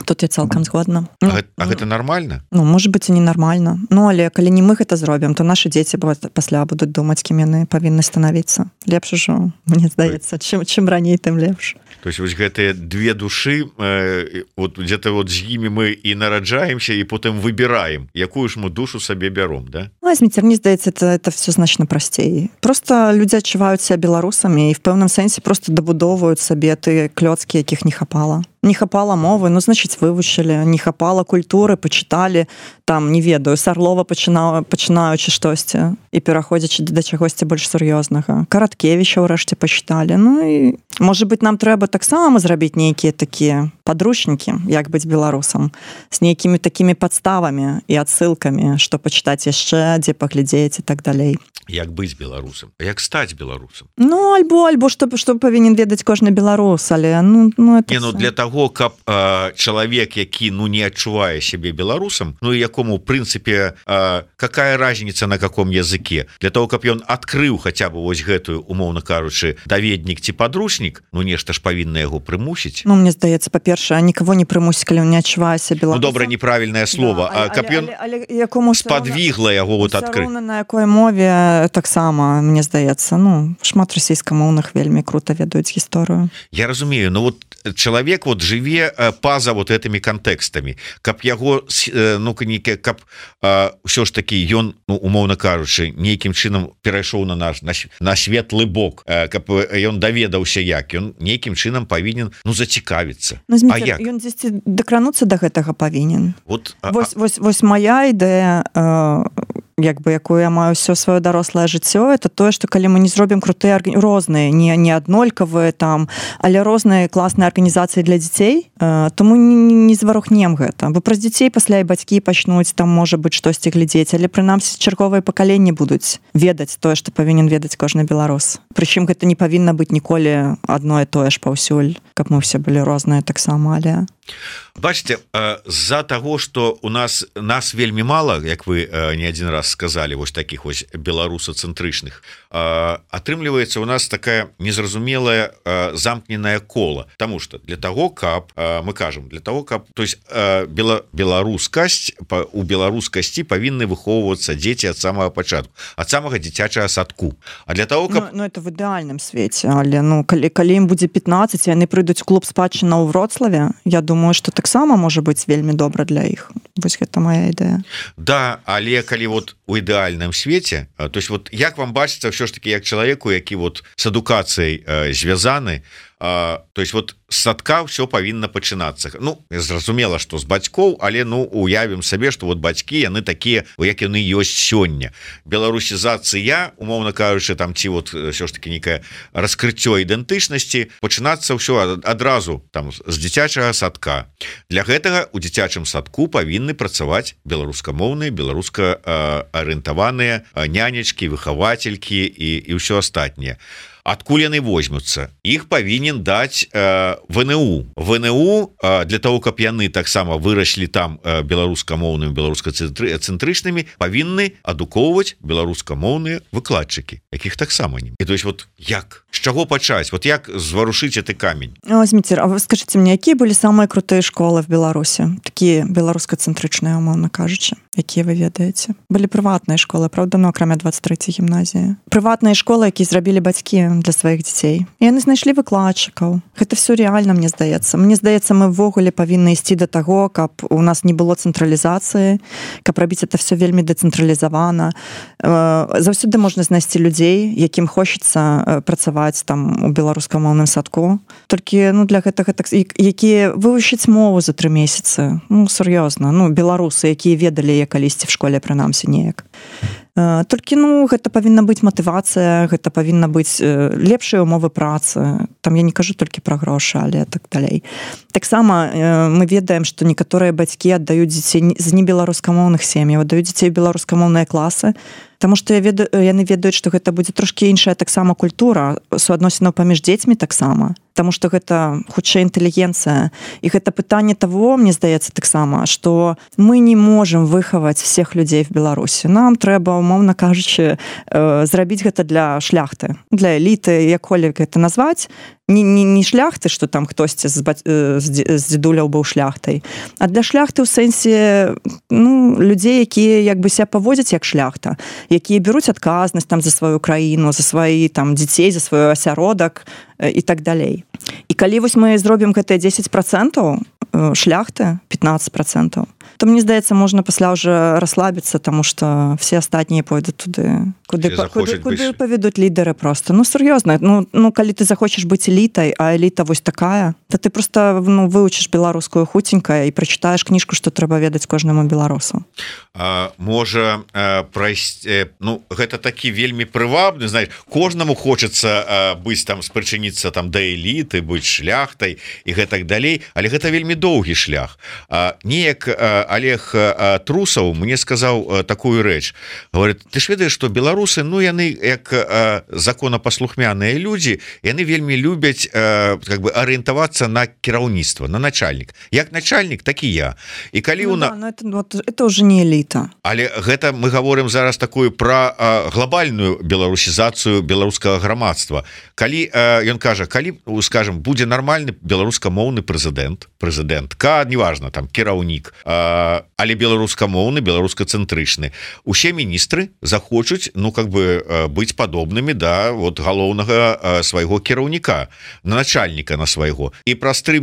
Тут я цалкам згодна. А, ну, гэта, а гэта нармальна? Ну, можа быць, і не нармальна. Ну, але калі не мы гэта зробім, то нашы дзеці пасля будуць думаць, кім яны павінны станавіцца. Лепш ужо, мне здаецца, чым, чым раней, тым лепш. То есть вось гэтыя две душы, э, вот где-то вот з імі мы і нараджаемся, і потым выбіраем, якую ж мы душу сабе бяром, да? Ну, Зміцер, мне здаецца, это, это все значна прасцей. Просто людзі адчуваюць себя беларусамі і в пэўным сэнсе просто дабудоўваюць сабе тыя клёцкі, якіх не хапала. Не хапала мовы, ну, значыць, вывучылі, не хапала культуры, пачыталі, там, не ведаю, з Арлова пачына, пачынаючы штосьці і пераходзячы да чагосьці больш сур'ёзнага. Караткевіча ўрэшце пачыталі. Ну, і, можа быць, нам трэба таксама зрабіць нейкія такія падручнікі, як быць беларусам, з нейкімі такімі падставамі і адсылкамі, што пачытаць яшчэ, дзе паглядзець і так далей. Як быць беларусам? Як стаць беларусам? Ну, альбо, альбо што, што павінен ведаць кожны беларус, але, ну, ну, это... Не, ну, для таго, каб э, чалавек, які, ну, не адчувае сябе беларусам, ну, і якому, в прынцыпе, э, какая разница на каком языке, для того, каб ён адкрыў хаця бы вось гэтую, умоўна кажучы, даведнік ці падручнік, ну, нешта ж павінна яго прымусіць. Ну, мне здаецца, па-першае, нікого не прымусіць, калі он не адчувае сябе беларусам. Ну, добра, неправільнае слово, да, а каб ён спадвігла яго вот адкрыць. На якой мове таксама, мне здаецца, ну, шмат расійскамоўных вельмі крута ведаюць гісторыю. Я разумею, но вот чалавек вот жыве па-за вот этими кантэкстамі, каб яго, ну, нейкі, каб ўсё ж такі ён, ну, умоўна кажучы, нейкім чынам перайшоў на наш на, на светлы бок, каб ён даведаўся як, ён нейкім чынам павінен, ну, зацікавіцца. Ну, а як? Ён дзесьці дакрануцца да гэтага павінен. Вот, вось, а... вось, вось моя ідэя, э, як бы, якую я маю ўсё сваё дарослае жыццё, это тое, што калі мы не зробім крутыя розныя, не, не аднолькавыя там, але розныя класныя арганізацыі для дзяцей, э, то мы не, не зварухнем гэта. Бо праз дзяцей пасля і бацькі пачнуць там, можа быць, штосьці глядзець, але прынамсі чарговыя пакаленні будуць ведаць тое, што павінен ведаць кожны беларус. Прычым гэта не павінна быць ніколі адно і тое ж паўсюль, каб мы ўсе былі розныя таксама, але... Бачите, з-за того что у нас нас вельмі мало, як вы не один раз сказали, вось таких вось беларусацэнтрычных, атрымліваецца у нас такая незразумелая замкненая кола, потому что для того каб мы кажем для того каб то есть бела беларускасць у беларускасці павінны выхоўвацца дзеці ад самого пачатку, ад самага дзіцячага садку, а для того каб... ну, ну это в ідэальным свеце, але ну калі, калі ім будзе пятнаццаць, яны прыйдуць клуб спадчына ў Вроцлаве, я думаю что таксама можа быць вельмі добра для іх. Вось гэта моя ідэя. Да, але калі вот у ідэальным свеце, то есть вот як вам бачыцца ўсё ж таки як чалавеку, які вот с адукацыяй э, звязаны, Uh, то есть вот с садка все павінна пачынацца. Ну зразумела что з бацькоў, але ну уявім сабе что вот бацькі яны такія як яны ёсць сёння. Беларусізацыя умоўна кажучы там ці вот все ж таки некае раскрыццё ідэнтычнасці пачынацца ўсё адразу там з дзіцячага садка. Для гэтага у дзіцячым садку павінны працаваць беларускамоўныя беларуска арыентаваныя нянечкі, выхавацелькі і, і ўсё астатняе. Адкуль яны возьмуцца? Іх павінен даць э, ВНУ. ВНУ э, для того, каб яны таксама выраслі там э, беларускамоўнымі, беларускацэнтрычнымі, павінны адукоўваць беларускамоўныя выкладчыкі, якіх таксама не. І то есть вот як? З чаго пачаць? Вот як зварушыць гэты камень? Зміцер, а вы скажите мне, якія былі самыя крутыя школы в Беларусі? Такія беларускацэнтрычныя, умоўна кажучы, якія вы ведаеце? Былі прыватныя школы, правда, ну акрамя двадцать трэцяй гімназіі. Прыватныя школы, якія зрабілі бацькі для сваіх дзяцей. І яны знайшлі выкладчыкаў. Гэта все реально, мне здаецца. Мне здаецца, мы ўвогуле павінны ісці да таго, каб у нас не было цэнтралізацыі, каб рабіць это все вельмі дэцэнтралізавана. Заўсёды можна знайсці людзей, якім хочацца працаваць там у беларускамоўным садку. Толькі ну для гэтага так, якія вывучаць мову за тры месяцы. Ну сур'ёзна, ну беларусы, якія ведалі я калісьці в школе прынамсі неяк. Толькі ну гэта павінна быць матывацыя, гэта павінна быць лепшыя умовы працы. Там я не кажу толькі пра грошы, але так далей. Таксама мы ведаем, што некаторыя бацькі аддаюць дзяцей з небеларускамоўных сем'яў, аддаюць дзяцей беларускамоўныя класы, таму што я ведаю, яны ведаюць, што гэта будзе трошкі іншая таксама культура суадносінаў паміж дзецьмі таксама. Таму што гэта хутчэй інтэлігенцыя. І гэта пытанне таго, мне здаецца таксама, што мы не можам выхаваць всех людзей в Беларусі. Нам трэба, умоўна кажучы, зрабіць гэта для шляхты, для эліты, як-колі гэта назваць. Не, не, не шляхты, што там хтосьці з, з, з дзедуляў быў шляхтай, а для шляхты ў сэнсе ну, людзей, якія як бы себя паводзяць як шляхта, якія беруць адказнасць там за сваю краіну, за сваі там дзяцей, за свой асяродак і так далей. І калі вось мы зробім гэтыя дзесяць працэнтаў шляхты, пятнадцать процентов, то мне здаецца, можна пасля ўжо расслабіцца, таму што все астатнія пойдуць туды, куды, па, куды, куды паведуць лідары просто. Ну, сур'ёзна, ну, ну, калі ты захочаш быць элітай, а эліта вось такая, то ты просто ну, выучыш беларускую хуценька і прачытаеш кніжку, што трэба ведаць кожнаму беларусу. А, можа, а, прайсці, ну, гэта такі вельмі прывабны, знаеш, кожнаму хочацца а, быць там, спрычыніцца там да эліты, быць шляхтай і гэтак далей, але гэта вельмі доўгі шлях. А, неяк а, Олег Трусаў мне сказаў такую рэч. Говорит, ты ж ведаеш, што беларусы, ну яны як законапаслухмяныя людзі, яны вельмі любяць как бы арыентавацца на кіраўніцтва, на начальнік. Як начальнік, так і я. І калі ну, у на... да, это, вот, это уже не эліта. Але гэта мы гаворым зараз такую пра глобальную беларусізацыю беларускага грамадства. Калі ён кажа, калі, скажем, будзе нармальны беларускамоўны прэзідэнт, прэзідэнтка, неважна, там кіраўнік, але беларускамоўны, беларускацэнтрычны. Усе міністры захочуць, ну, как бы, быць падобнымі да вот галоўнага свайго кіраўніка, на начальніка на свайго. І праз тры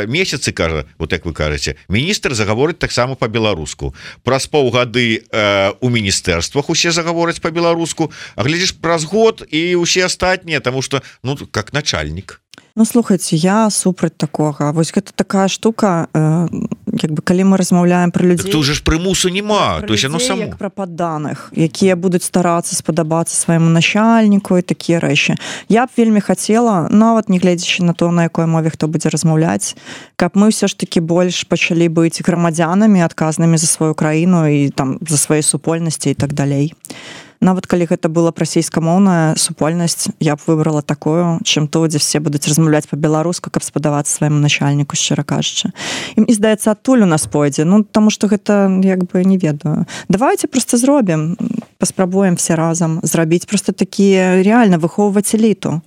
месяцы, кажа, вот як вы кажаце, міністр загаворыць таксама па-беларуску. Праз паўгады у міністэрствах усе загавораць па-беларуску, а глядзіш праз год і усе астатнія, таму што, ну, как начальнік. Ну, слухайце, я супраць такога. Вось гэта такая штука, э, як бы, калі мы размаўляем пра людзей... Так тут же ж прымусу няма, то есть оно само. Як пра падданых, якія будуць старацца спадабацца свайму начальніку і такія рэчы. Я б вельмі хацела, нават не гледзячы на то, на якой мове хто будзе размаўляць, каб мы ўсё ж такі больш пачалі быць грамадзянамі, адказнымі за сваю краіну і там за свае супольнасці і так далей. нават калі гэта была б расійскамоўная супольнасць, я б выбрала такую, чым то, дзе все будуць размаўляць па-беларуску, каб спадавацца свайму начальніку, шчыра кажучы. І здаецца, адтуль у нас пойдзе, ну таму што гэта як бы не ведаю. Давайте просто зробім, паспрабуем все разам зрабіць просто такія реально выхоўваць эліту.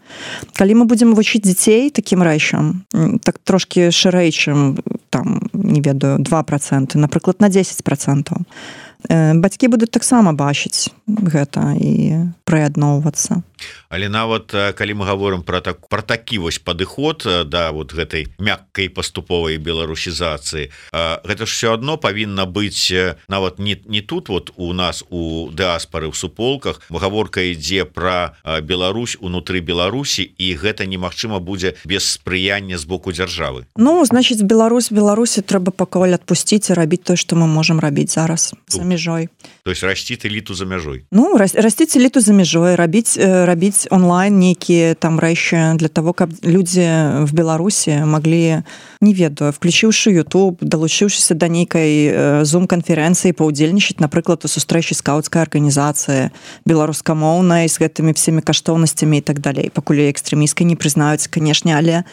Калі мы будзем вучыць дзяцей такім рэчам, так трошки шырэй, чым там, не ведаю, два проценты, напрыклад, на десять процентов, бацькі будуць таксама бачыць гэта і прыядноўвацца. Але нават калі мы говорим про так про такі вось падыход да вот гэтай мяккай паступовай беларусізацыі, гэта ж все одно павінна быць нават не, не тут вот у нас у дыаспары в суполках гаворка ідзе про Беларусь унутры Беларусі, і гэта немагчыма будзе без спрыяння з боку дзяржавы. Ну значыць Беларусь Беларусі трэба пакуль адпусціць і рабіць тое, што мы можам рабіць зараз за мяжой. То есть расціць эліту за мяжой. Ну расціць эліту за мяжой, рабіць рабіць онлайн нейкія там рэчы для того, каб людзі в Беларусі маглі, не ведаю, включыўшы YouTube, далучыўшыся да нейкай зум-канферэнцыі паўдзельнічаць, напрыклад, у сустрэчы скаўцкай арганізацыі беларускамоўнай з гэтымі всеми каштоўнасцямі і так далей. Пакуль экстрэмісткай не прызнаюць, канешне, але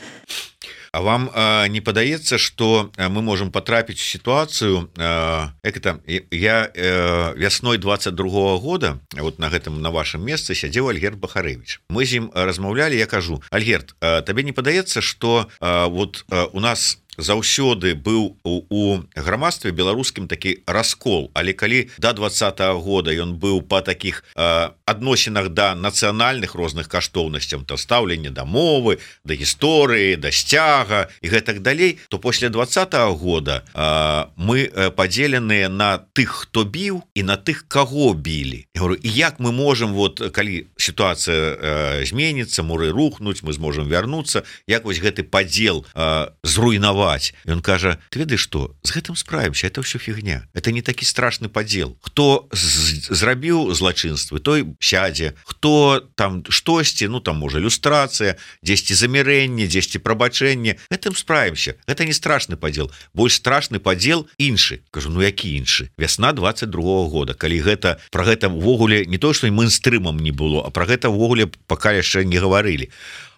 А вам э, не падаецца, што мы можем потрапіць в ситуацию, э, як это, я э, вясной двадцать другого года вот на гэтым на вашем месцы сядзеў Альгерд Бахарэвіч. Мы з ім размаўлялі, я кажу: Альгерд, э, табе не падаецца, што э, вот э, у нас заўсёды быў у, у грамадстве беларускім такі раскол, але калі до двадцатого года ён быў па такіх э, адносінах да нацыянальных розных каштоўнасцяў, то стаўленне да мовы, да гісторыі, да сцяга і гэтак далей, то пасля двадцатого года э, мы падзеленыя на тых, хто біў, і на тых, каго білі. Я говорю, і як мы можем, вот калі сітуацыя э, зменіцца, муры рухнуць, мы зможам вярнуцца, як вось гэты падзел э, зруйнаваць. Ён кажа: ты ведаеш што, з гэтым справімся, это ўсё фігня, это не такі страшны падзел. Хто зрабіў злачынствы, той сядзе, хто там штосьці, ну там можа люстрацыя, дзесьці замірэнне, дзесьці прабачэнне, гэтым справімся, гэта не страшны падзел. Больш страшны падзел іншы. Кажу, ну які іншы? Вясна двадцать другого года, калі гэта пра гэта ўвогуле не то, што мейнстрымам не было, а пра гэта ўвогуле пакуль яшчэ не гаварылі.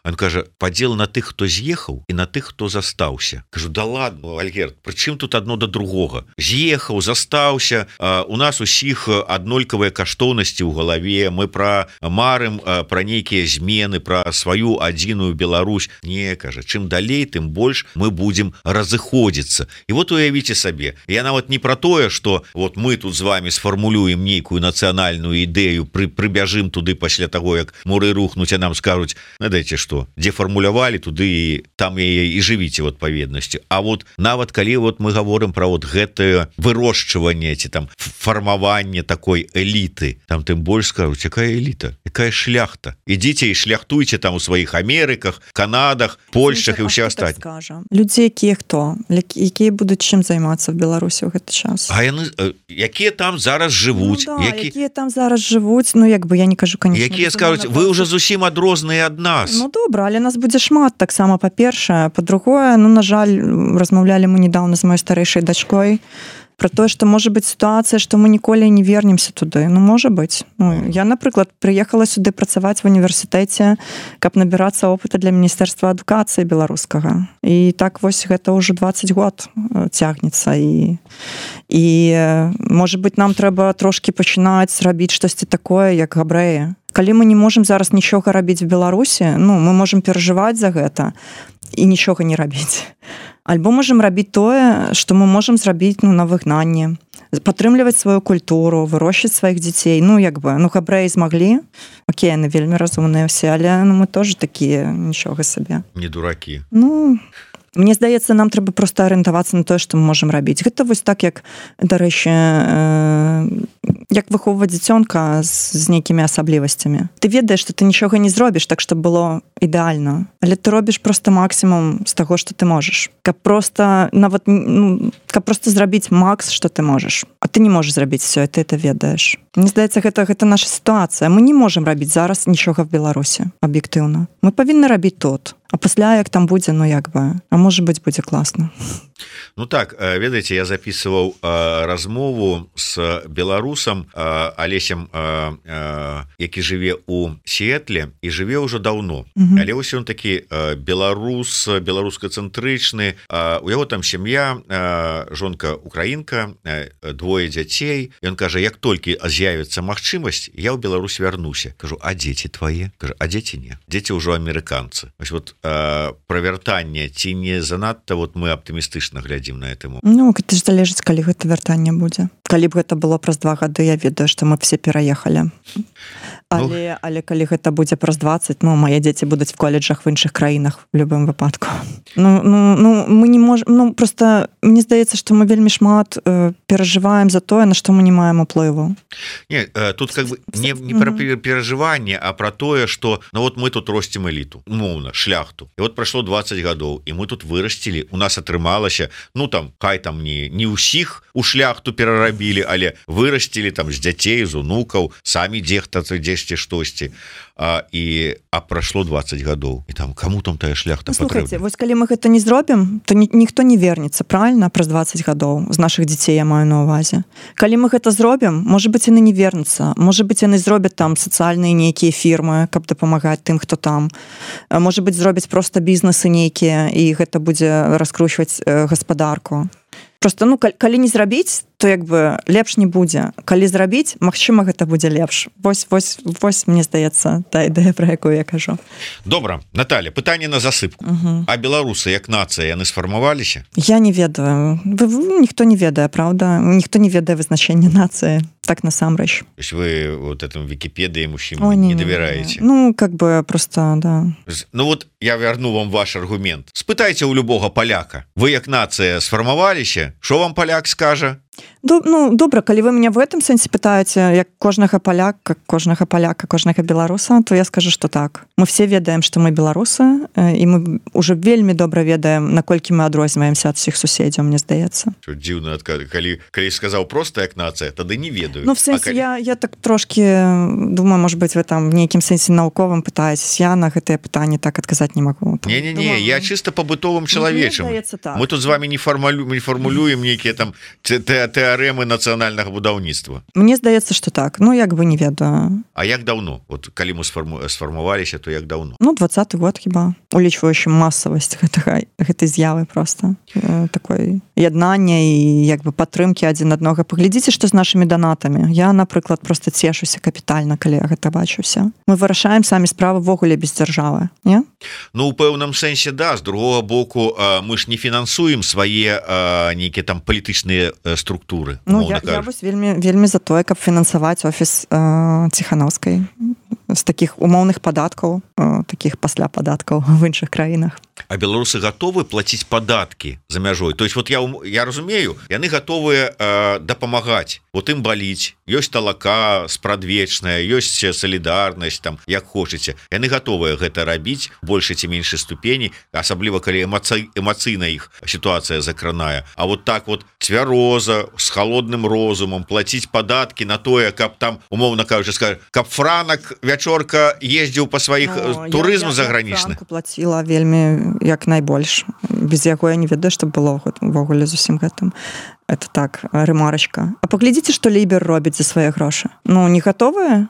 Он кажа: падзел на тых, хто з'ехаў, і на тых, хто застаўся. Кажу: да ладно, Альгерд, прычым тут адно да другога? З'ехаў, застаўся, у нас усіх аднолькавыя каштоўнасці ў галаве, мы пра марым пра нейкія змены, пра сваю адзіную Беларусь. Не, кажа, чым далей, тым больш мы будзем разыходзіцца. І вот уявіце сабе, я нават не пра тое, што вот мы тут з вами сфармулюем нейкую нацыянальную ідэю, пры, прыбяжым туды пасля таго, як муры рухнуць, а нам скажуць: надайце што, дзе фармулявалі, туды і там яе і жывіце в адпаведнасці. А вот нават калі вот мы гаворым пра вот гэтае вырошчванне ці там фармаванне такой эліты, там тым больш скажуць: якая эліта, якая шляхта, ідзіце і шляхтуйце там у сваіх Амерыках, Канадах, Польшчах і ўсе астатнія. Людзі якія хто, якія будуць чым займацца в Беларусі ў гэты час? А яны якія там зараз жывуць, ну, да, які... якія там зараз жывуць, ну як бы я не кажу, конечно, якія скажуць: вы ўжо зусім адрозныя ад нас. Ну добра, але нас будзе шмат таксама, па-першае, па-другое, ну на жаль, размаўлялі мы недавно з маёй старэйшай дачкой про тое, што можа быць сітуацыя, што мы ніколі не вернемся туды. Ну можа быць. Ну, я, напрыклад, прыехала сюды працаваць в універсітэце, каб набірацца опыта для міністэрства адукацыі беларускага. І так вось гэта ўжо двадцать год цягнецца. І, і можа быць, нам трэба трошки пачынаць рабіць штосьці такое, як габрэі. Калі мы не можам зараз нічога рабіць в Беларусі, ну, мы можам перажываць за гэта і нічога не рабіць. Альбо можам рабіць тое, што мы можам зрабіць, ну, на выгнанні, падтрымліваць сваю культуру, вырошчыць сваіх дзяцей. Ну, як бы, ну, габрэі змаглі, окей, яны вельмі разумныя ўсе, але ну, мы тоже такія, нічога сабе. Не дуракі. Ну, мне здаецца, нам трэба проста арыентавацца на тое, што мы можам рабіць. Гэта вось так, як, дарэчы, э, як выхоўваць дзіцёнка з, з нейкімі асаблівасцямі. Ты ведаеш, што ты нічога не зробіш так, щоб было ідэальна, але ты робіш проста максімум з таго, што ты можаш. Каб проста, нават, ну, каб проста зрабіць макс, што ты можаш. А ты не можаш зрабіць все, і ты это ведаеш. Мне здаецца, гэта, гэта наша сітуацыя. Мы не можам рабіць зараз нічога в Беларусі, аб'ектыўна. Мы павінны рабіць тут. А пасля, як там будзе, ну як бы, а можа быць, будзе класна. Ну так, ведаеце, я записываў размову с беларусам Алесем, які жыве у Сіэтле і жыве ўжо даўно. Mm-hmm. Але вось ён такі беларус, беларускацэнтрычны, у яго там сям'я, жонка украінка, двое дзяцей. Ён кажа, як толькі з'явіцца магчымасць, я ў Беларусь вярнуся. Кажу, а дзеці твае? Кажа, а дзеці не. Дзеці ўжо амерыканцы. Вось вот пра вяртанне, ці не занадта вот мы аптымістычна глядзім на этому. Ну, гэта ж залежыць, калі гэта вяртанне будзе. Калі б гэта было праз два гады, я ведаю, што мы все пераехалі. Але, ну, але калі гэта будзе праз дваццаць, ну, мае дзеці будуць в колледжах в іншых краінах в любым выпадку. Ну, ну, ну мы не можем, ну, просто мне здаецца, што мы вельмі шмат э, перажываем за тое, на што мы не маем уплыву. Не, э, тут как бы не, не про перажыванне, а про тое, што ну вот мы тут росцім эліту, умоўна, шляхту. І вот прайшло дваццаць гадоў, і мы тут вырасцілі, у нас атрымалася, ну там, хай там не, не ўсіх у шляхту перарабілі, але вырасцілі там з дзяцей, з унукаў, самі дзехта дзесьці штосьці. А, і а прайшло дваццаць гадоў і там кому там тая шляхта ну, слухайте, вось калі мы гэта не зробім, то ні, ніхто не вернецца, правильно, праз дваццаць гадоў з наших дзяцей я маю на увазе. Калі мы гэта зробім, можа быць яны не вернуцца, можа быць яны зробяць там сацыяльныя нейкія фірмы, каб дапамагаць тым, хто там, можа быць зробяць просто бізнесы нейкія і гэта будзе раскручваць э, гаспадарку. Просто ну калі не зрабіць, то як бы лепш не будзе. Калі зрабіць, магчыма, гэта будзе лепш. Вось вось вось мне здаецца та ідэя, пра якую я кажу. Добра, Наталья, пытанне на засыпку. Uh-huh. А беларусы як нацыя яны сфармаваліся? Я не ведаю. Ніхто не ведае, правда? Ніхто не ведае вызначэння нацыі. Так насамрэч. То есть вы вот этому Википедии мужчин О, не, не доверяете? Ну, как бы просто, да. Ну вот я верну вам ваш аргумент. Спытайте у любого поляка. Вы як нация сформоваліся? Что вам поляк скажа? Ну, добра, калі вы мяне в гэтым сэнсе пытаеце, як кожнага паляка, кожнага паляка, кожнага беларуса, то я скажу, што так. Мы все ведаем, што мы беларусы, і мы уже вельмі добра ведаем, наколькі мы адрозніваемся ад усіх суседзяў, мне здаецца. Дзіўна, калі, калі сказаў проста як нацыя, тады не ведаю. Ну, в сэнсе, калі... я, я так трошки думаю, может быть, вы там в нейкім сэнсе навуковым пытаецесь. Я на гэтае пытанне так адказаць не магу. Не-не-не, я чисто по бытовым чалавечым. Так. Мы тут з вами не, формулю... не формулюем нейкія там тэарэмы нацыянальнага будаўніцтва. Мне здаецца, што так. Ну, як бы не ведаю. А як даўно? Вот калі мы сфарму... сфармаваліся, то як даўно? Ну, двадцаты год хіба. Улічваючы масавасць гэтага, гэтай з'явы просто. Э, такой яднання і як бы падтрымкі адзін аднога. Паглядзіце, што з нашымі донатамі. Я, напрыклад, просто цешуся капітальна, калі я гэта бачуся. Мы вырашаем самі справы ввогуле без дзяржавы, не? Ну, у пэўным сэнсе, да. З другога боку, мы ж не фінансуем свае нейкія там палітычныя структуры. Ну, я, я вось вельмі, вельмі за тое, каб фінансаваць офіс э, Ціханаўскай з такіх умоўных падаткаў, э, такіх пасля падаткаў в іншых краінах. А беларусы готовы платіць падаткі за мяжой? То есть вот я, я разумею, яны готовыя э, дапамагаць. Вот ім баліць. Ёсць талака спрадвечная, ёсць салідарнасць, там, як хочаце. Яны готовыя гэта рабіць большай ці меншай ступені, асабліва калі эмоцый, эмацыйна іх сітуацыя закранае. А вот так вот цвяроза, з холодным розумам плаціць падаткі на тое, каб там, умоўна кажучы, скажу, каб Франак вячорка ездзіў па сваіх ну, турызму загранічных. Я, я Франку плаціла вельмі як найбольш. Без яго я не ведаю, што было ввогуле з усім гэтым. Это так, рэмарачка. А паглядзіце, што Лібер робіць за свае грошы. Ну, не гатовыя?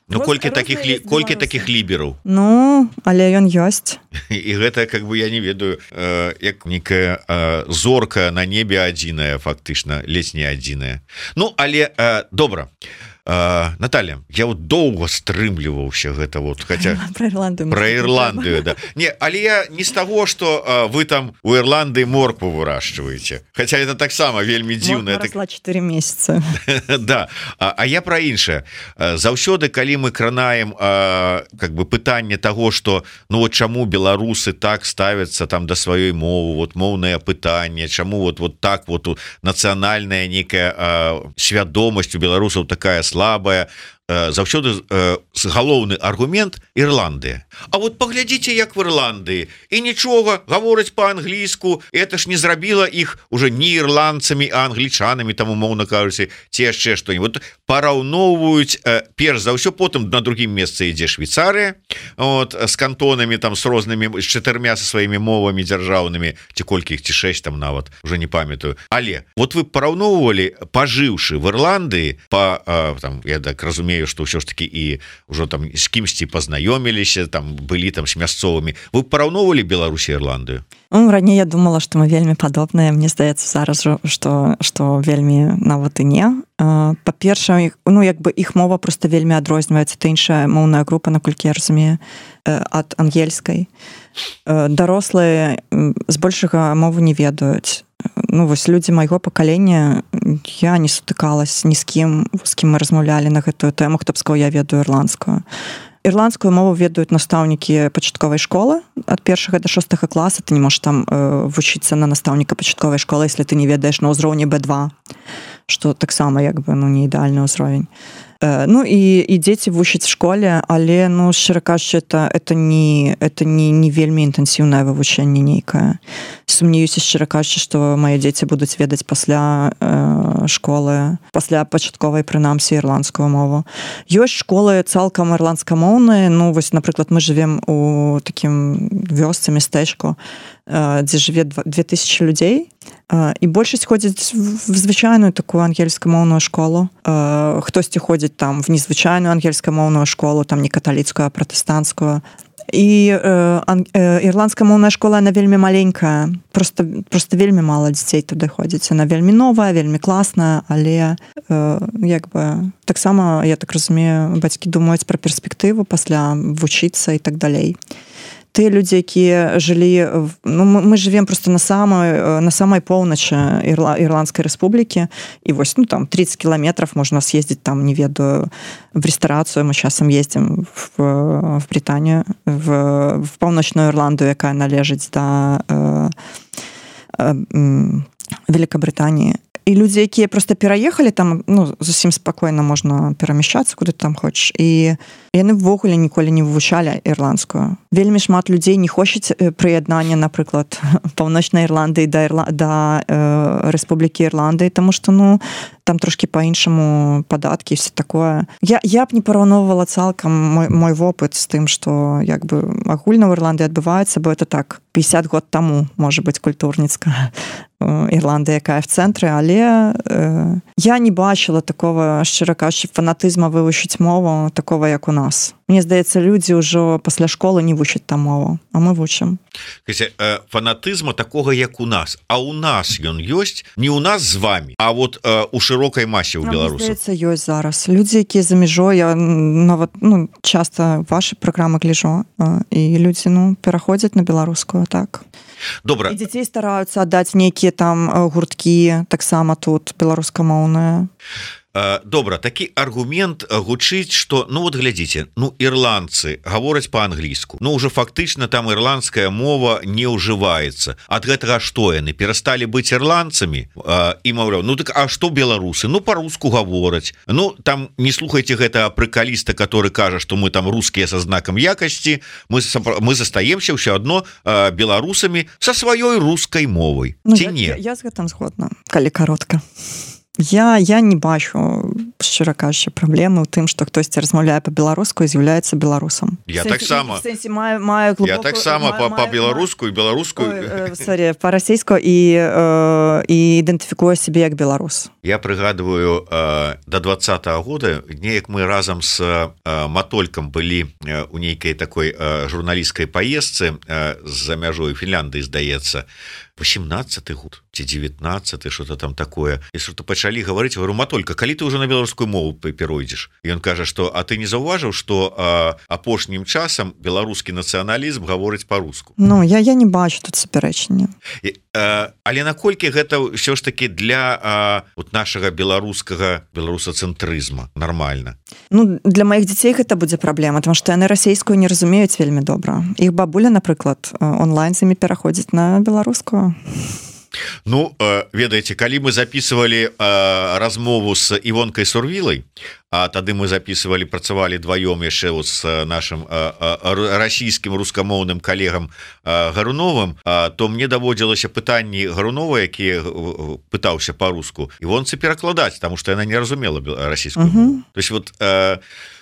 Ну, колькі такіх, ли, колькі такіх лібераў? Ну, але ён ёсць. І гэта, как бы, я не ведаю, э, як некая э, зорка на небе адзіная, фактычна, ледзь не адзіная. Ну, але, э, добра. Uh, Наталья, я вот доўга стрымліваўся гэта вот, хотя про Ірландыю, про Ірландыю, да. Не, але я не з таго, што uh, вы там у Ірландыі моркву выращиваете, хотя это таксама вельмі дзіўна. Морква росла чатыры месяцы. Да, а, а я про іншае. Заўсёды, калі мы кранаем а, как бы пытанне таго, што ну вот чаму беларусы так ставяцца там да сваёй мовы, вот моўнае пытанне, чаму вот вот так вот нацыянальная некая а, свядомасць у беларусаў такая слабая. заўсёды галоўны аргумент Ірландыя. А вот паглядзіце, як в Ірландыі, і нічога, гавораць по-англійску, это ж не зрабіла іх уже не ірландцамі, а англічанамі, там умоўна кажуць, ці яшчэ што-нибудь. Параўноўваюць перш за ўсё, потым на другім месцы ідзе Швейцарыя, вот, з кантонамі, там, з рознымі, з чатырмя са сваімі мовамі дзяржаўнымі, ці колькі іх, ці шэсць там нават, уже не памятаю. Але вот вы параўноўвалі, пажыўшы в Ірландыі, па, там, я так разумею, што ўсё ж таки і ўжо там з кімсьці пазнаёміліся, там былі там з мясцовымі. Вы параўноўвалі Беларусь і Ірландыю? Ну, раней я думала, што мы вельмі падобныя. Мне здаецца зараз, што, што вельмі нават і не. Па-першае, ну, як бы іх мова просто вельмі адрозніваецца. Це іншая моўная група, наколькі я разумею, ад ангельскай. Дарослыя збольшага мову не ведаюць. Ну, вось людзі майго пакалення, я не сутыкалась ні з кім, з кім мы размаўлялі на гэтую тэму, хто б сказаў, я ведаю ірландскую. Ірландскую мову ведаюць настаўнікі пачатковай школы ад першага да шостага класа. Ты не можаш там э, вучыцца на настаўніка пачатковай школы, если ты не ведаеш на ўзроўні бэ два, што таксама як бы, ну, не ідэальны ўзровень. Э, ну і, і дзеці вучаць в школе, але, ну, шчыра кажучы, это, это, не, это не, не вельмі інтэнсіўнае вывучэнне нейкае. Сумнеюся, шчыра кажучы, што мае дзеці будуць ведаць пасля э, школы, пасля пачатковай, прынамсі, ірландскую мову. Ёсць школы цалкам ірландскамоўныя, ну, вось, напрыклад, мы жывем у такім вёсцы, мястэчку, э, дзе жыве две тысячы людзей, э, і большасць ходзіць в звычайную такую ангельскамоўную школу. Э, хтосьці ходзіць там в незвычайную ангельскамоўную школу, там не каталіцкую, а пратэстанцкую. І э, э, ірландская моўная школа, она вельмі маленькая, просто, просто вельмі мала дзяцей туды ходзіць. Она вельмі новая, вельмі класная, але э, як бы таксама, я так разумею, бацькі думаюць пра перспектыву пасля вучыцца і так далей. Тыя людзі, якія жылі, ну, мы живем просто на самой, на самой поўначы Ірла, Ірландскай рэспублікі, і вось, ну, там, тридцать километров можна съездить, там, не ведаю, в ресторацию, мы часам ездим в, в Британию, в, в паўночную Ірландию, якая належыць да э, э, Великобритании. І людзі, якія просто пераехалі там, ну, зусім спакойна можна перамяшчацца куды там хочаш, і яны ўвогуле ніколі не вывучалі ірландскую. Вельмі шмат людзей не хочуць прыяднання, напрыклад, паўночнай Ірландыі да, Ірла... да э, Рэспублікі Ірландыі, таму што, ну, там трошки по-іншаму падаткі і все такое. Я, я б не параўноўвала цалкам мой, мой вопыт з тым, што як бы агульна ў Ірландыі адбываецца, бо это так, пятьдесят год таму, можа быць, культурніцка Ірландыя, якая в цэнтры, але э, я не бачыла такого, шчыра кажучы, фанатызма вывучыць мову, такого, як у нас. Мне здаецца, людзі ўжо пасля школы не вучаць там мову, а мы вучым. Фанатызма такога, як у нас. А у нас ён ёсць, не у нас з вами, а вот э, у шырокай масе ў беларусаў. Мне здаецца, ёсць зараз. Людзі, якія за мяжой, я нават, ну, часта ваши праграмы гляжу, э, і людзі, ну, пераходзяць на беларускую, так. Добра. І дзяцей стараюцца аддаць нейкія там гурткі, таксама тут беларускамоўныя. Добра, такі аргумент гучыць, што, ну вот глядзіце, ну ірландцы гавораць па-англійску, ну уже фактычна там ірландская мова не ўжываецца. Ад гэтага што яны перасталі быць ірландцамі і маўляў, ну так а што беларусы? Ну па-руску гавораць. Ну там не слухайце гэта прыкаліста, который кажа, што мы там рускія са знакам якасці, мы, мы застаемся ўсё адно беларусамі са сваёй рускай мовай. Ну, ці я, не? Я, я з гэтым згодна, калі каротка. Я, я не бачу, шчыра кажучы, праблемы ў тым, што хтосьці размаўляе па-беларуску і з'яўляецца беларусам. Я таксама. Маю, маю глубоку, я таксама па-беларуску і беларуску. Сорі, па-расейску і, э, і ідэнтыфікую сябе як беларус. Я прыгадываю, э, до двадцатого года неяк мы разам з э, Матолькам былі э, у нейкай такой э, журналісцкай паездцы э, за мяжой Фінляндыі, здаецца, восемнадцатый год ці девятнадцатый, что-то там такое. І что-то пачалі гаварыць, говорю, Матолька, калі ты уже на беларускую мову перайдзеш? І ён кажа, што а ты не заўважыў, што апошнім часам беларускі нацыяналізм гаворыць па-руску? Ну, я, я не бачу тут супярэчання. Але наколькі гэта ўсё ж таки для а, вот нашага беларускага беларусацэнтрызма нармальна? Ну, для маіх дзяцей гэта будзе праблема, тому што яны расейскую не разумеюць вельмі добра. Іх бабуля, напрыклад, онлайн з імі пераходзіць на беларускую. Ну ведаеце, калі мы записывали размову с Івонкай Сурвілай, а тады мы записывали, працавалі дваём яшчэ с нашим расійскім рускамоўным калегам Гаруновым, то мне даводзілася пытанні Гарунова, які пытаўся по-руску, Івонцы перакладаць, потому что яна не разумела расійскую мову. То есть вот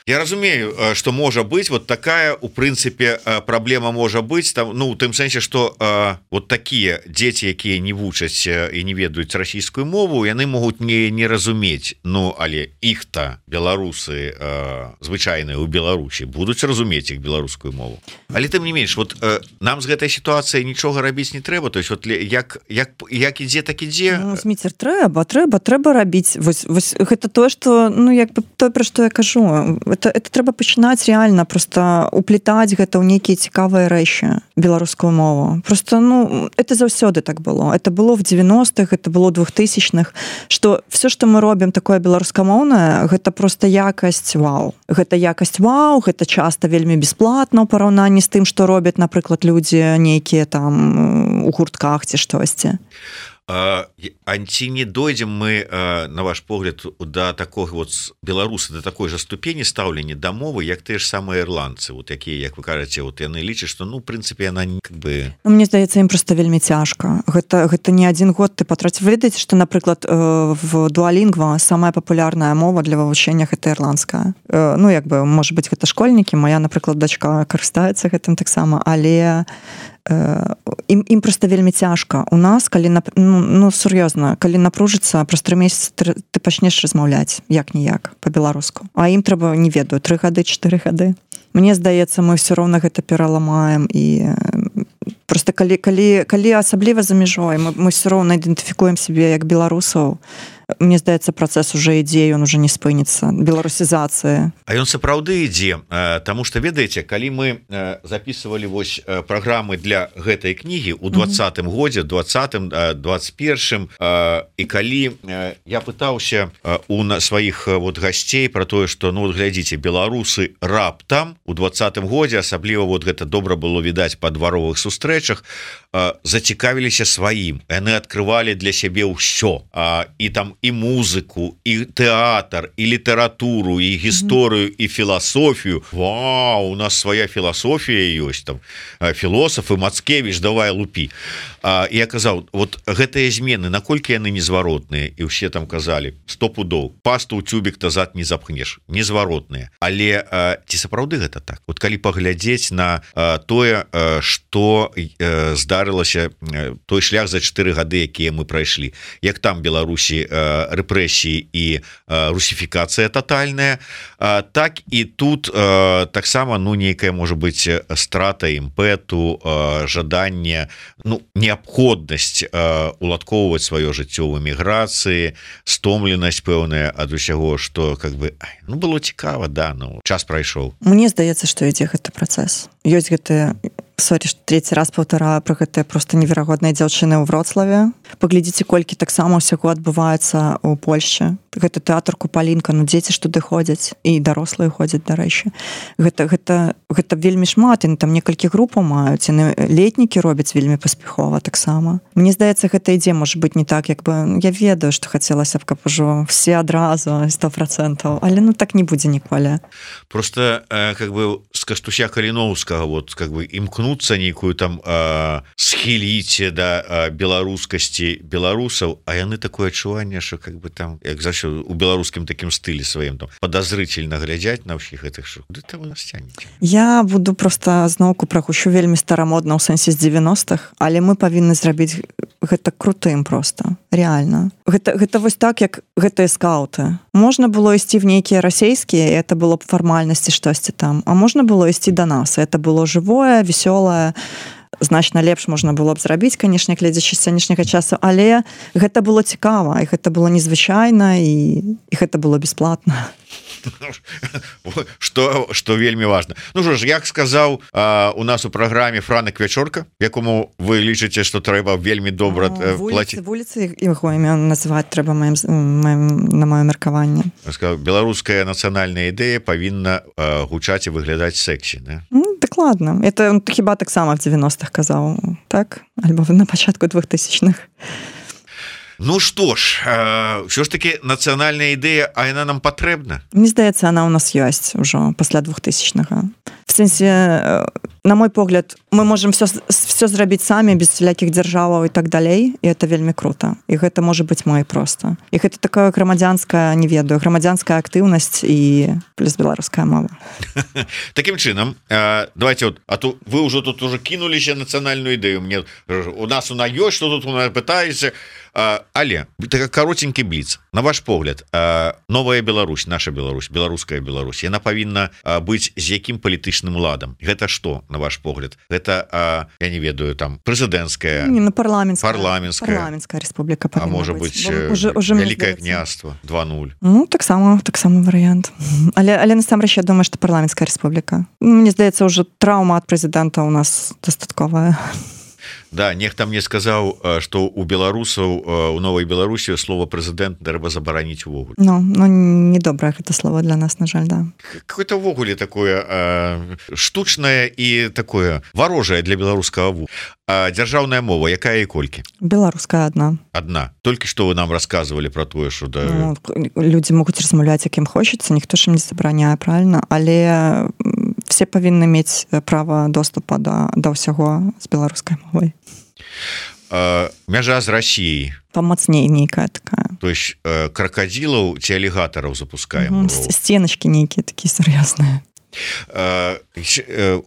я разумею, что можа быть вот такая, у прынцыпе, праблема можа быть там, ну, у тым сэнсе, что э, вот такія дзеці, якія не вучаць і не ведаюць расійскую мову, яны могуць не, не разумець, ну, але іх-то беларусы э, звычайныя ў Беларусі будуць разумець іх беларускую мову. Але тым не менш, вот э, нам з гэтай сітуацыяй нічога рабіць не трэба, то есть вот як, як, як ідзе, так ідзе. Ну, Зміцер, трэба, трэба, трэба рабіць. Вось, вось гэта тое, што, ну, як бы тое, пра што я кажу, это, это трэба пачынаць реально просто уплетаць гэта ў нейкія цікавыя рэчы, беларускую мову. Просто, ну, это заўсёды так было. Это было в девяностых, это было в двухтысячных, што все, што мы робім такое беларускамоўнае, гэта просто якасць вау. Гэта якасць вау, гэта часта вельмі бесплатна ў параўнанні з тым, што робяць, напрыклад, людзі нейкія там у гуртках ці штосьці. Анці не дойдзем мы, на ваш погляд, да такого вот беларусы, да такой же ступені стаўлення да мовы, як тыя ж самыя ірландцы, вот якія, як вы кажаце, вот яны лічаць, што, ну, в прынцыпе, яна как бы... Ну, мне здаецца, ім просто вельмі цяжка. Гэта, гэта не адзін год ты патраціў. Вы ведаеце, што, напрыклад, в Duolingo самая папулярная мова для вывучэння гэта ірландская. Ну, як бы, можа быць, гэта школьнікі, моя, напрыклад, дачка карыстаецца гэтым таксама, але ім, ім просто вельмі цяжка. У нас, калі, ну, ну сур'ёзна, калі напружыцца, праз тры месяцы ты, ты пачнеш размаўляць як-ніяк па-беларуску. А ім трэба, не ведаю, тры гады, чатыры гады. Мне здаецца, мы ўсё роўна гэта пераламаем і просто калі, калі, калі асабліва за мяжой, мы, мы ўсё роўна ідэнтыфікуем сябе як беларусаў, мне здаецца, працэс уже ідзе, ён уже не спыніцца, беларусізацыя. А ён сапраўды ідзе, таму што, ведаеце, калі мы записывалі вось праграмы для гэтай кнігі ў двадцатым mm-hmm. годзе, двадцатым, двадцать першым, і калі я пытаўся у сваіх вот гасцей про тое, што, ну, вот глядзіце, беларусы раптам у двадцатым годзе, асабліва вот гэта добра было відаць па дваровых сустрэчах, зацікавіліся сваім, яны адкрывалі для сябе ўсё, і там і музыку, і тэатр, і літаратуру, і гісторыю, mm-hmm. і філасофію. Вау, у нас свая філасофія ёсць, там філосафы, Мацкевіч, давай лупі. А, я казаў, вот гэтыя змены, наколькі яны незваротныя, і ўсе там казалі, сто пудоў, пасту ў цюбік тазад не запхнеш, незваротныя. Але а, ці сапраўды гэта так? Вот калі паглядзець на а, тое, а, што а, здарылася, а, той шлях за чатыры гады, якія мы прайшлі, як там Беларусі а, рэпрэсіі і а, русіфікацыя тотальная, а, так і тут а, таксама, ну, нейкая, можа быць, страта імпэту, а, жаданне, ну, неабходнасць уладкоўваць сваё жыццё ў эміграцыі, стомленасць пэўная ад усяго, што как бы, ну, было цікава, да, ну, час прайшоў. Мне здаецца, што ідзе гэты працэс. Ёсць гэтыя, сорі, што трэці раз паўтараю пра гэтыя проста неверагодныя дзяўчыны ў Вроцлаве. Паглядзіце, колькі таксама ўсяго адбываецца ў Польшчы. Гэта тэатр Купалінка, ну, дзеці ж туды ходзяць, і дарослыя ходзяць, дарэчы. Гэта, гэта, гэта вельмі шмат, і там некалькі групаў маюць, і летнікі робяць вельмі паспяхова таксама. Мне здаецца, гэта ідзе, можа быць, не так, як бы, я ведаю, што хацелася б, каб ужо все адразу, сто процентаў, але, ну, так не будзе ніколі. Просто, э, как бы, з Кастуся Каліноўскага, вот, как бы, імкнуцца нейкую там э, схіліце да э, беларускасці беларусаў, а яны такое адчуванне, што, как бы, там, як за у беларускім такім стылі сваім, там, подозрительно глядзяць на ўсіх гэтых, што куды там у нас цягнеце? Я буду просто зноўку прагучу вельмі старамодна ў сэнсе з девяностых, але мы павінны зрабіць гэта крутым просто, реально. Гэта, гэта вось так, як гэтыя скауты. Можна было ісці в нейкія расейскія, і это было б фармальнасці штосьці там, а можна было ісці да нас, это было жывое, весёлае, значна лепш можна было б зрабіць, канешне, глядзячы з сённяшняга часу, але гэта было цікава, і гэта было незвычайна, і, і гэта было бесплатна. что что вельмі важно. Ну что ж, як сказаў у нас у праграме Франак Вячорка, якому вы лічыце, что трэба вельмі добра плаціць вуліцы яго імя называць трэба маім, маім, на маё меркаванне. Беларуская нацыянальная ідэя павінна гучаць і выглядаць сексі, да? Ну, дакладна. Это хіба таксама в девяностых казаў, так? Альбо на пачатку двухтысячных. Ну что ж, ўсё ж таки нацыянальная ідэя, а яна нам патрэбна? Мне здаецца, она у нас ёсць ужо пасля двухтысячнага. В сэнсе, на мой погляд, мы можем все, все зрабіць самі без всяких дзяржаваў і так далей, і это вельмі круто. І гэта можа быць мой проста. І гэта такая грамадзянская, не ведаю, грамадзянская актыўнасць і плюс беларуская мова. Таким чынам, давайте вот, а то вы ўжо тут уже кинуліся нацыянальную ідэю. Мне у нас она ёсць, что тут у нас пытаеце. Але так каротенькі бліц. На ваш погляд, новая Беларусь, наша Беларусь, беларуская Беларусь, яна павінна быць з якім палітычным ладам? Гэта што, на ваш погляд? Гэта, я не ведаю, там прэзідэнцкая, не, ну, парламенская, парламенская, парламенская республіка, а можа быць вялікае княства два нуль. Ну, таксама, таксама варыянт. Але, але насамрэч, я думаю, што парламенская республіка. Мне здаецца, ўжо траўма ад прэзідэнта у нас дастатковая. Да, нехта мне сказаў, што у беларусаў у новай Беларусі слова прэзідэнт трэба забараніць увогуле. Ну, ну недобрае гэта слово для нас, на жаль, да. Какое-то увогуле такое э, штучнае і такое варожае для беларускага ву. А дзяржаўная мова, якая і колькі? Беларуская одна. Одна. Толькі што вы нам рассказывалі про тое, што да... Ну, людзі могуць размаўляць, якім хочацца, ніхто ж ім не забараняе, правильно? Але все павінны мець права доступа да, да ўсяго з беларускай мовай. А, мяжа з Расіяй. Памацней нейкая такая. То есть э, крокодилаў ці алігатараў запускаем. Угу, сценочки нейкія такія сур'ёзныя.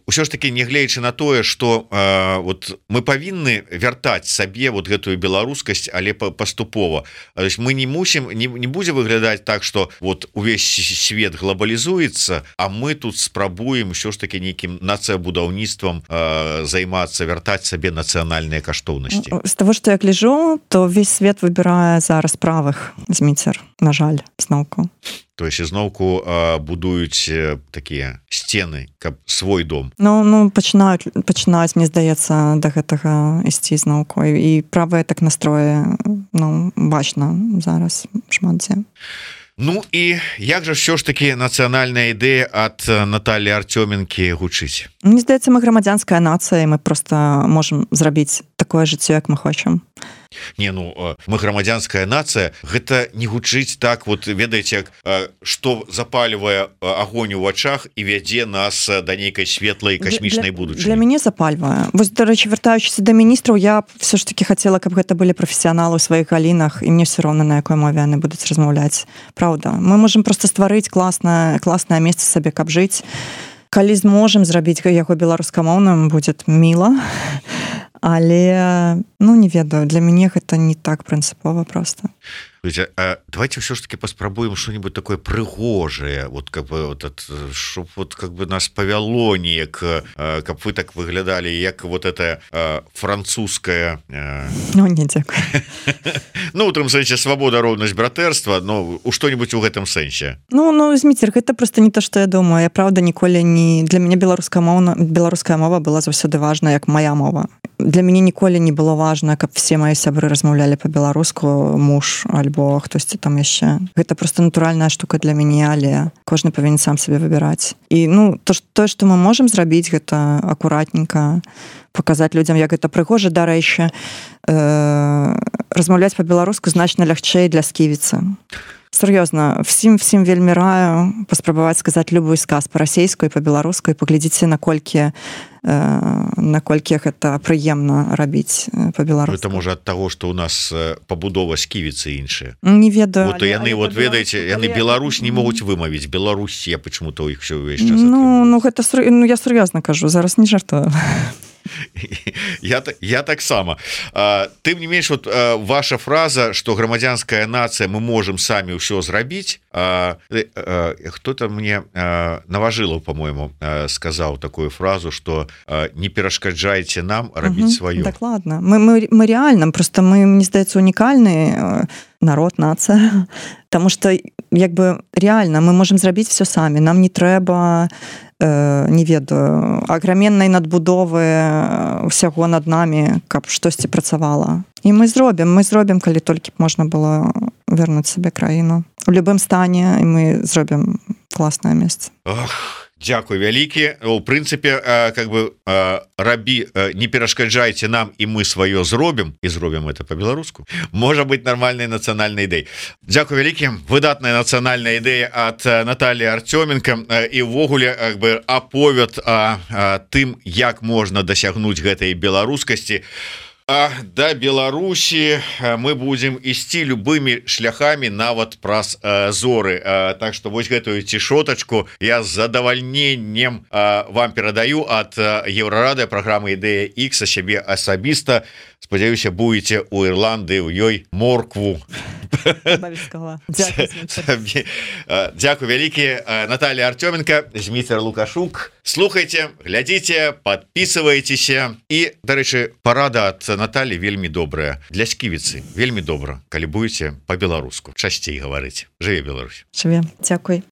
Усё ж таки, нягледзячы на тое, что э, вот мы павінны вяртаць сабе вот гэтую беларускасць, але паступова. То есть мы не мусім, не, не будзе выглядаць так, что вот увесь свет глобалізуецца, а мы тут спрабуем ўсё ж таки нейкім нацыябудаўніцтвам э, займацца, вяртаць сабе нацыянальныя каштоўнасці. З таго, што я гляжу, то весь свет выбірае зараз правых, Зміцер, на жаль, зноўку. То есть ізноўку э, будуюць э, такія сцены, каб свой дом. Ну, ну пачынаюць, пачынаюць, мне здаецца, да гэтага ісці зноўку. І правыя так настроі, ну, бачна зараз шмат дзе. Ну і як жа ўсё ж таки нацыянальная ідэя ад Натальі Артёменкі гучыць? Мне здаецца, мы грамадзянская нацыя, і мы проста можам зрабіць такое жыццё, як мы хочам. Не, ну мы грамадзянская нацыя, гэта не гучыць так, вот ведаеце, што запальвае агонь у вачах і вядзе нас да нейкай светлай касмічнай будучыні. Для мяне запальвае. Вось, дарэчы, вяртаючыся да міністраў, я все ж таки хацела, каб гэта былі прафесіяналы ў сваіх галінах, і мне все роўна, на якой мове яны будуць размаўляць. Праўда, мы можам проста стварыць класнае, класнае месца сабе, каб жыць. Калі зможам зрабіць яго беларускамоўным, будзе міла. Але, ну, не ведаю, для мяне гэта не так прынцыпова просто. Давайте все ж таки паспрабуем что-нибудь такое прыгожее, вот как бы вот, чтоб вот как бы нас повяло неяк, каб вы так выглядали, як вот это французская. Ну, не дзякуй. Ну, у тым сэнсе свабода, роўнасць, братэрства, ну, у што-нибудь у гэтым сэнсе. Ну, ну, Зміцер, гэта просто не то, што я думаю. Я, правда, ніколі не... Для мяне беларуская мова, беларуская мова была заўсёды важна, як моя мова. Для мяне ніколі не было важна, каб все мои сябры размаўлялі па-беларуску, муж альбо хтосьці там яшчэ. Гэта просто натуральная штука для мяне, але кожны павінен сам сабе выбіраць. І, ну, то, тое, што мы можам зрабіць, гэта акуратненька паказаць людзям, як гэта прыгожа, дарэчы, э, размаўляць па-беларуску значна лягчэй для сківіцы. Сур'ёзна, всім всім вельмі раю паспрабаваць сказаць любой сказ па-расейску і па-беларуску, і паглядзіце, наколькі наколькі гэта прыемна рабіць па-беларуску. Это можа ад таго, што ў нас пабудова сківіцы іншая. Не ведаю. Вот яны, вот ведаеце, яны Беларусь не могуць вымавіць. Беларусь, я почему-то у іх все ўвесь час. Ну, ну гэта ну, я сур'ёзна кажу, зараз не жартую. Я, я так само. Тым не менш, вот ваша фраза, что грамадзянская нация, мы можем сами ўсё зрабіць. Кто-то мне, Наважылаў, по-моему, сказал такую фразу, что не перашкаджайте нам рабіць сваё. Дакладна. Мы, мы, мы реально, просто мы, мне здаецца, унікальны народ, нация. Потому что як бы реально мы можем зрабіць все самі, нам не трэба не ведаю аграменнай надбудовы усяго над намі, каб штосьці працавала. І мы зробім, мы зробім, калі толькі б можна было вярнуць сабе краіну. У любым стане, і мы зробім класнае месца. Ох. Дякую вялікі. У прынцыпе как бы рабі, не перашкаджайце нам і мы сваё зробім і зробім это по-беларуску. Можа быть нармальнай нацыянальнай ідэй. Дзякую вялікі. Выдатная нацыянальная ідэя ад Натальи Артёменко і ўвогуле как бы аповед о, о тым, як можна дасягнуць гэтай беларускасці. А да Беларусі мы будем ісці любымі шляхами нават праз э, зоры, э, так что вось гэтую цішотачку я з задавальненнем э, вам перадаю ад Еўрарады праграмы ідэя X сябе асабіста. Спадзяюся, будете у Ірландыі у ёй моркву. Дякую вялікі. Наталья Артёменко, Зміцер Лукашук. Слухайте, глядите, подписывайтеся. І, дарэчы, парада ад Натальи вельмі добрая для сківіцы, вельмі добра, калі будете по-беларуску часцей гаварыць. Жыве Беларусь. Жыве. Дзякуй.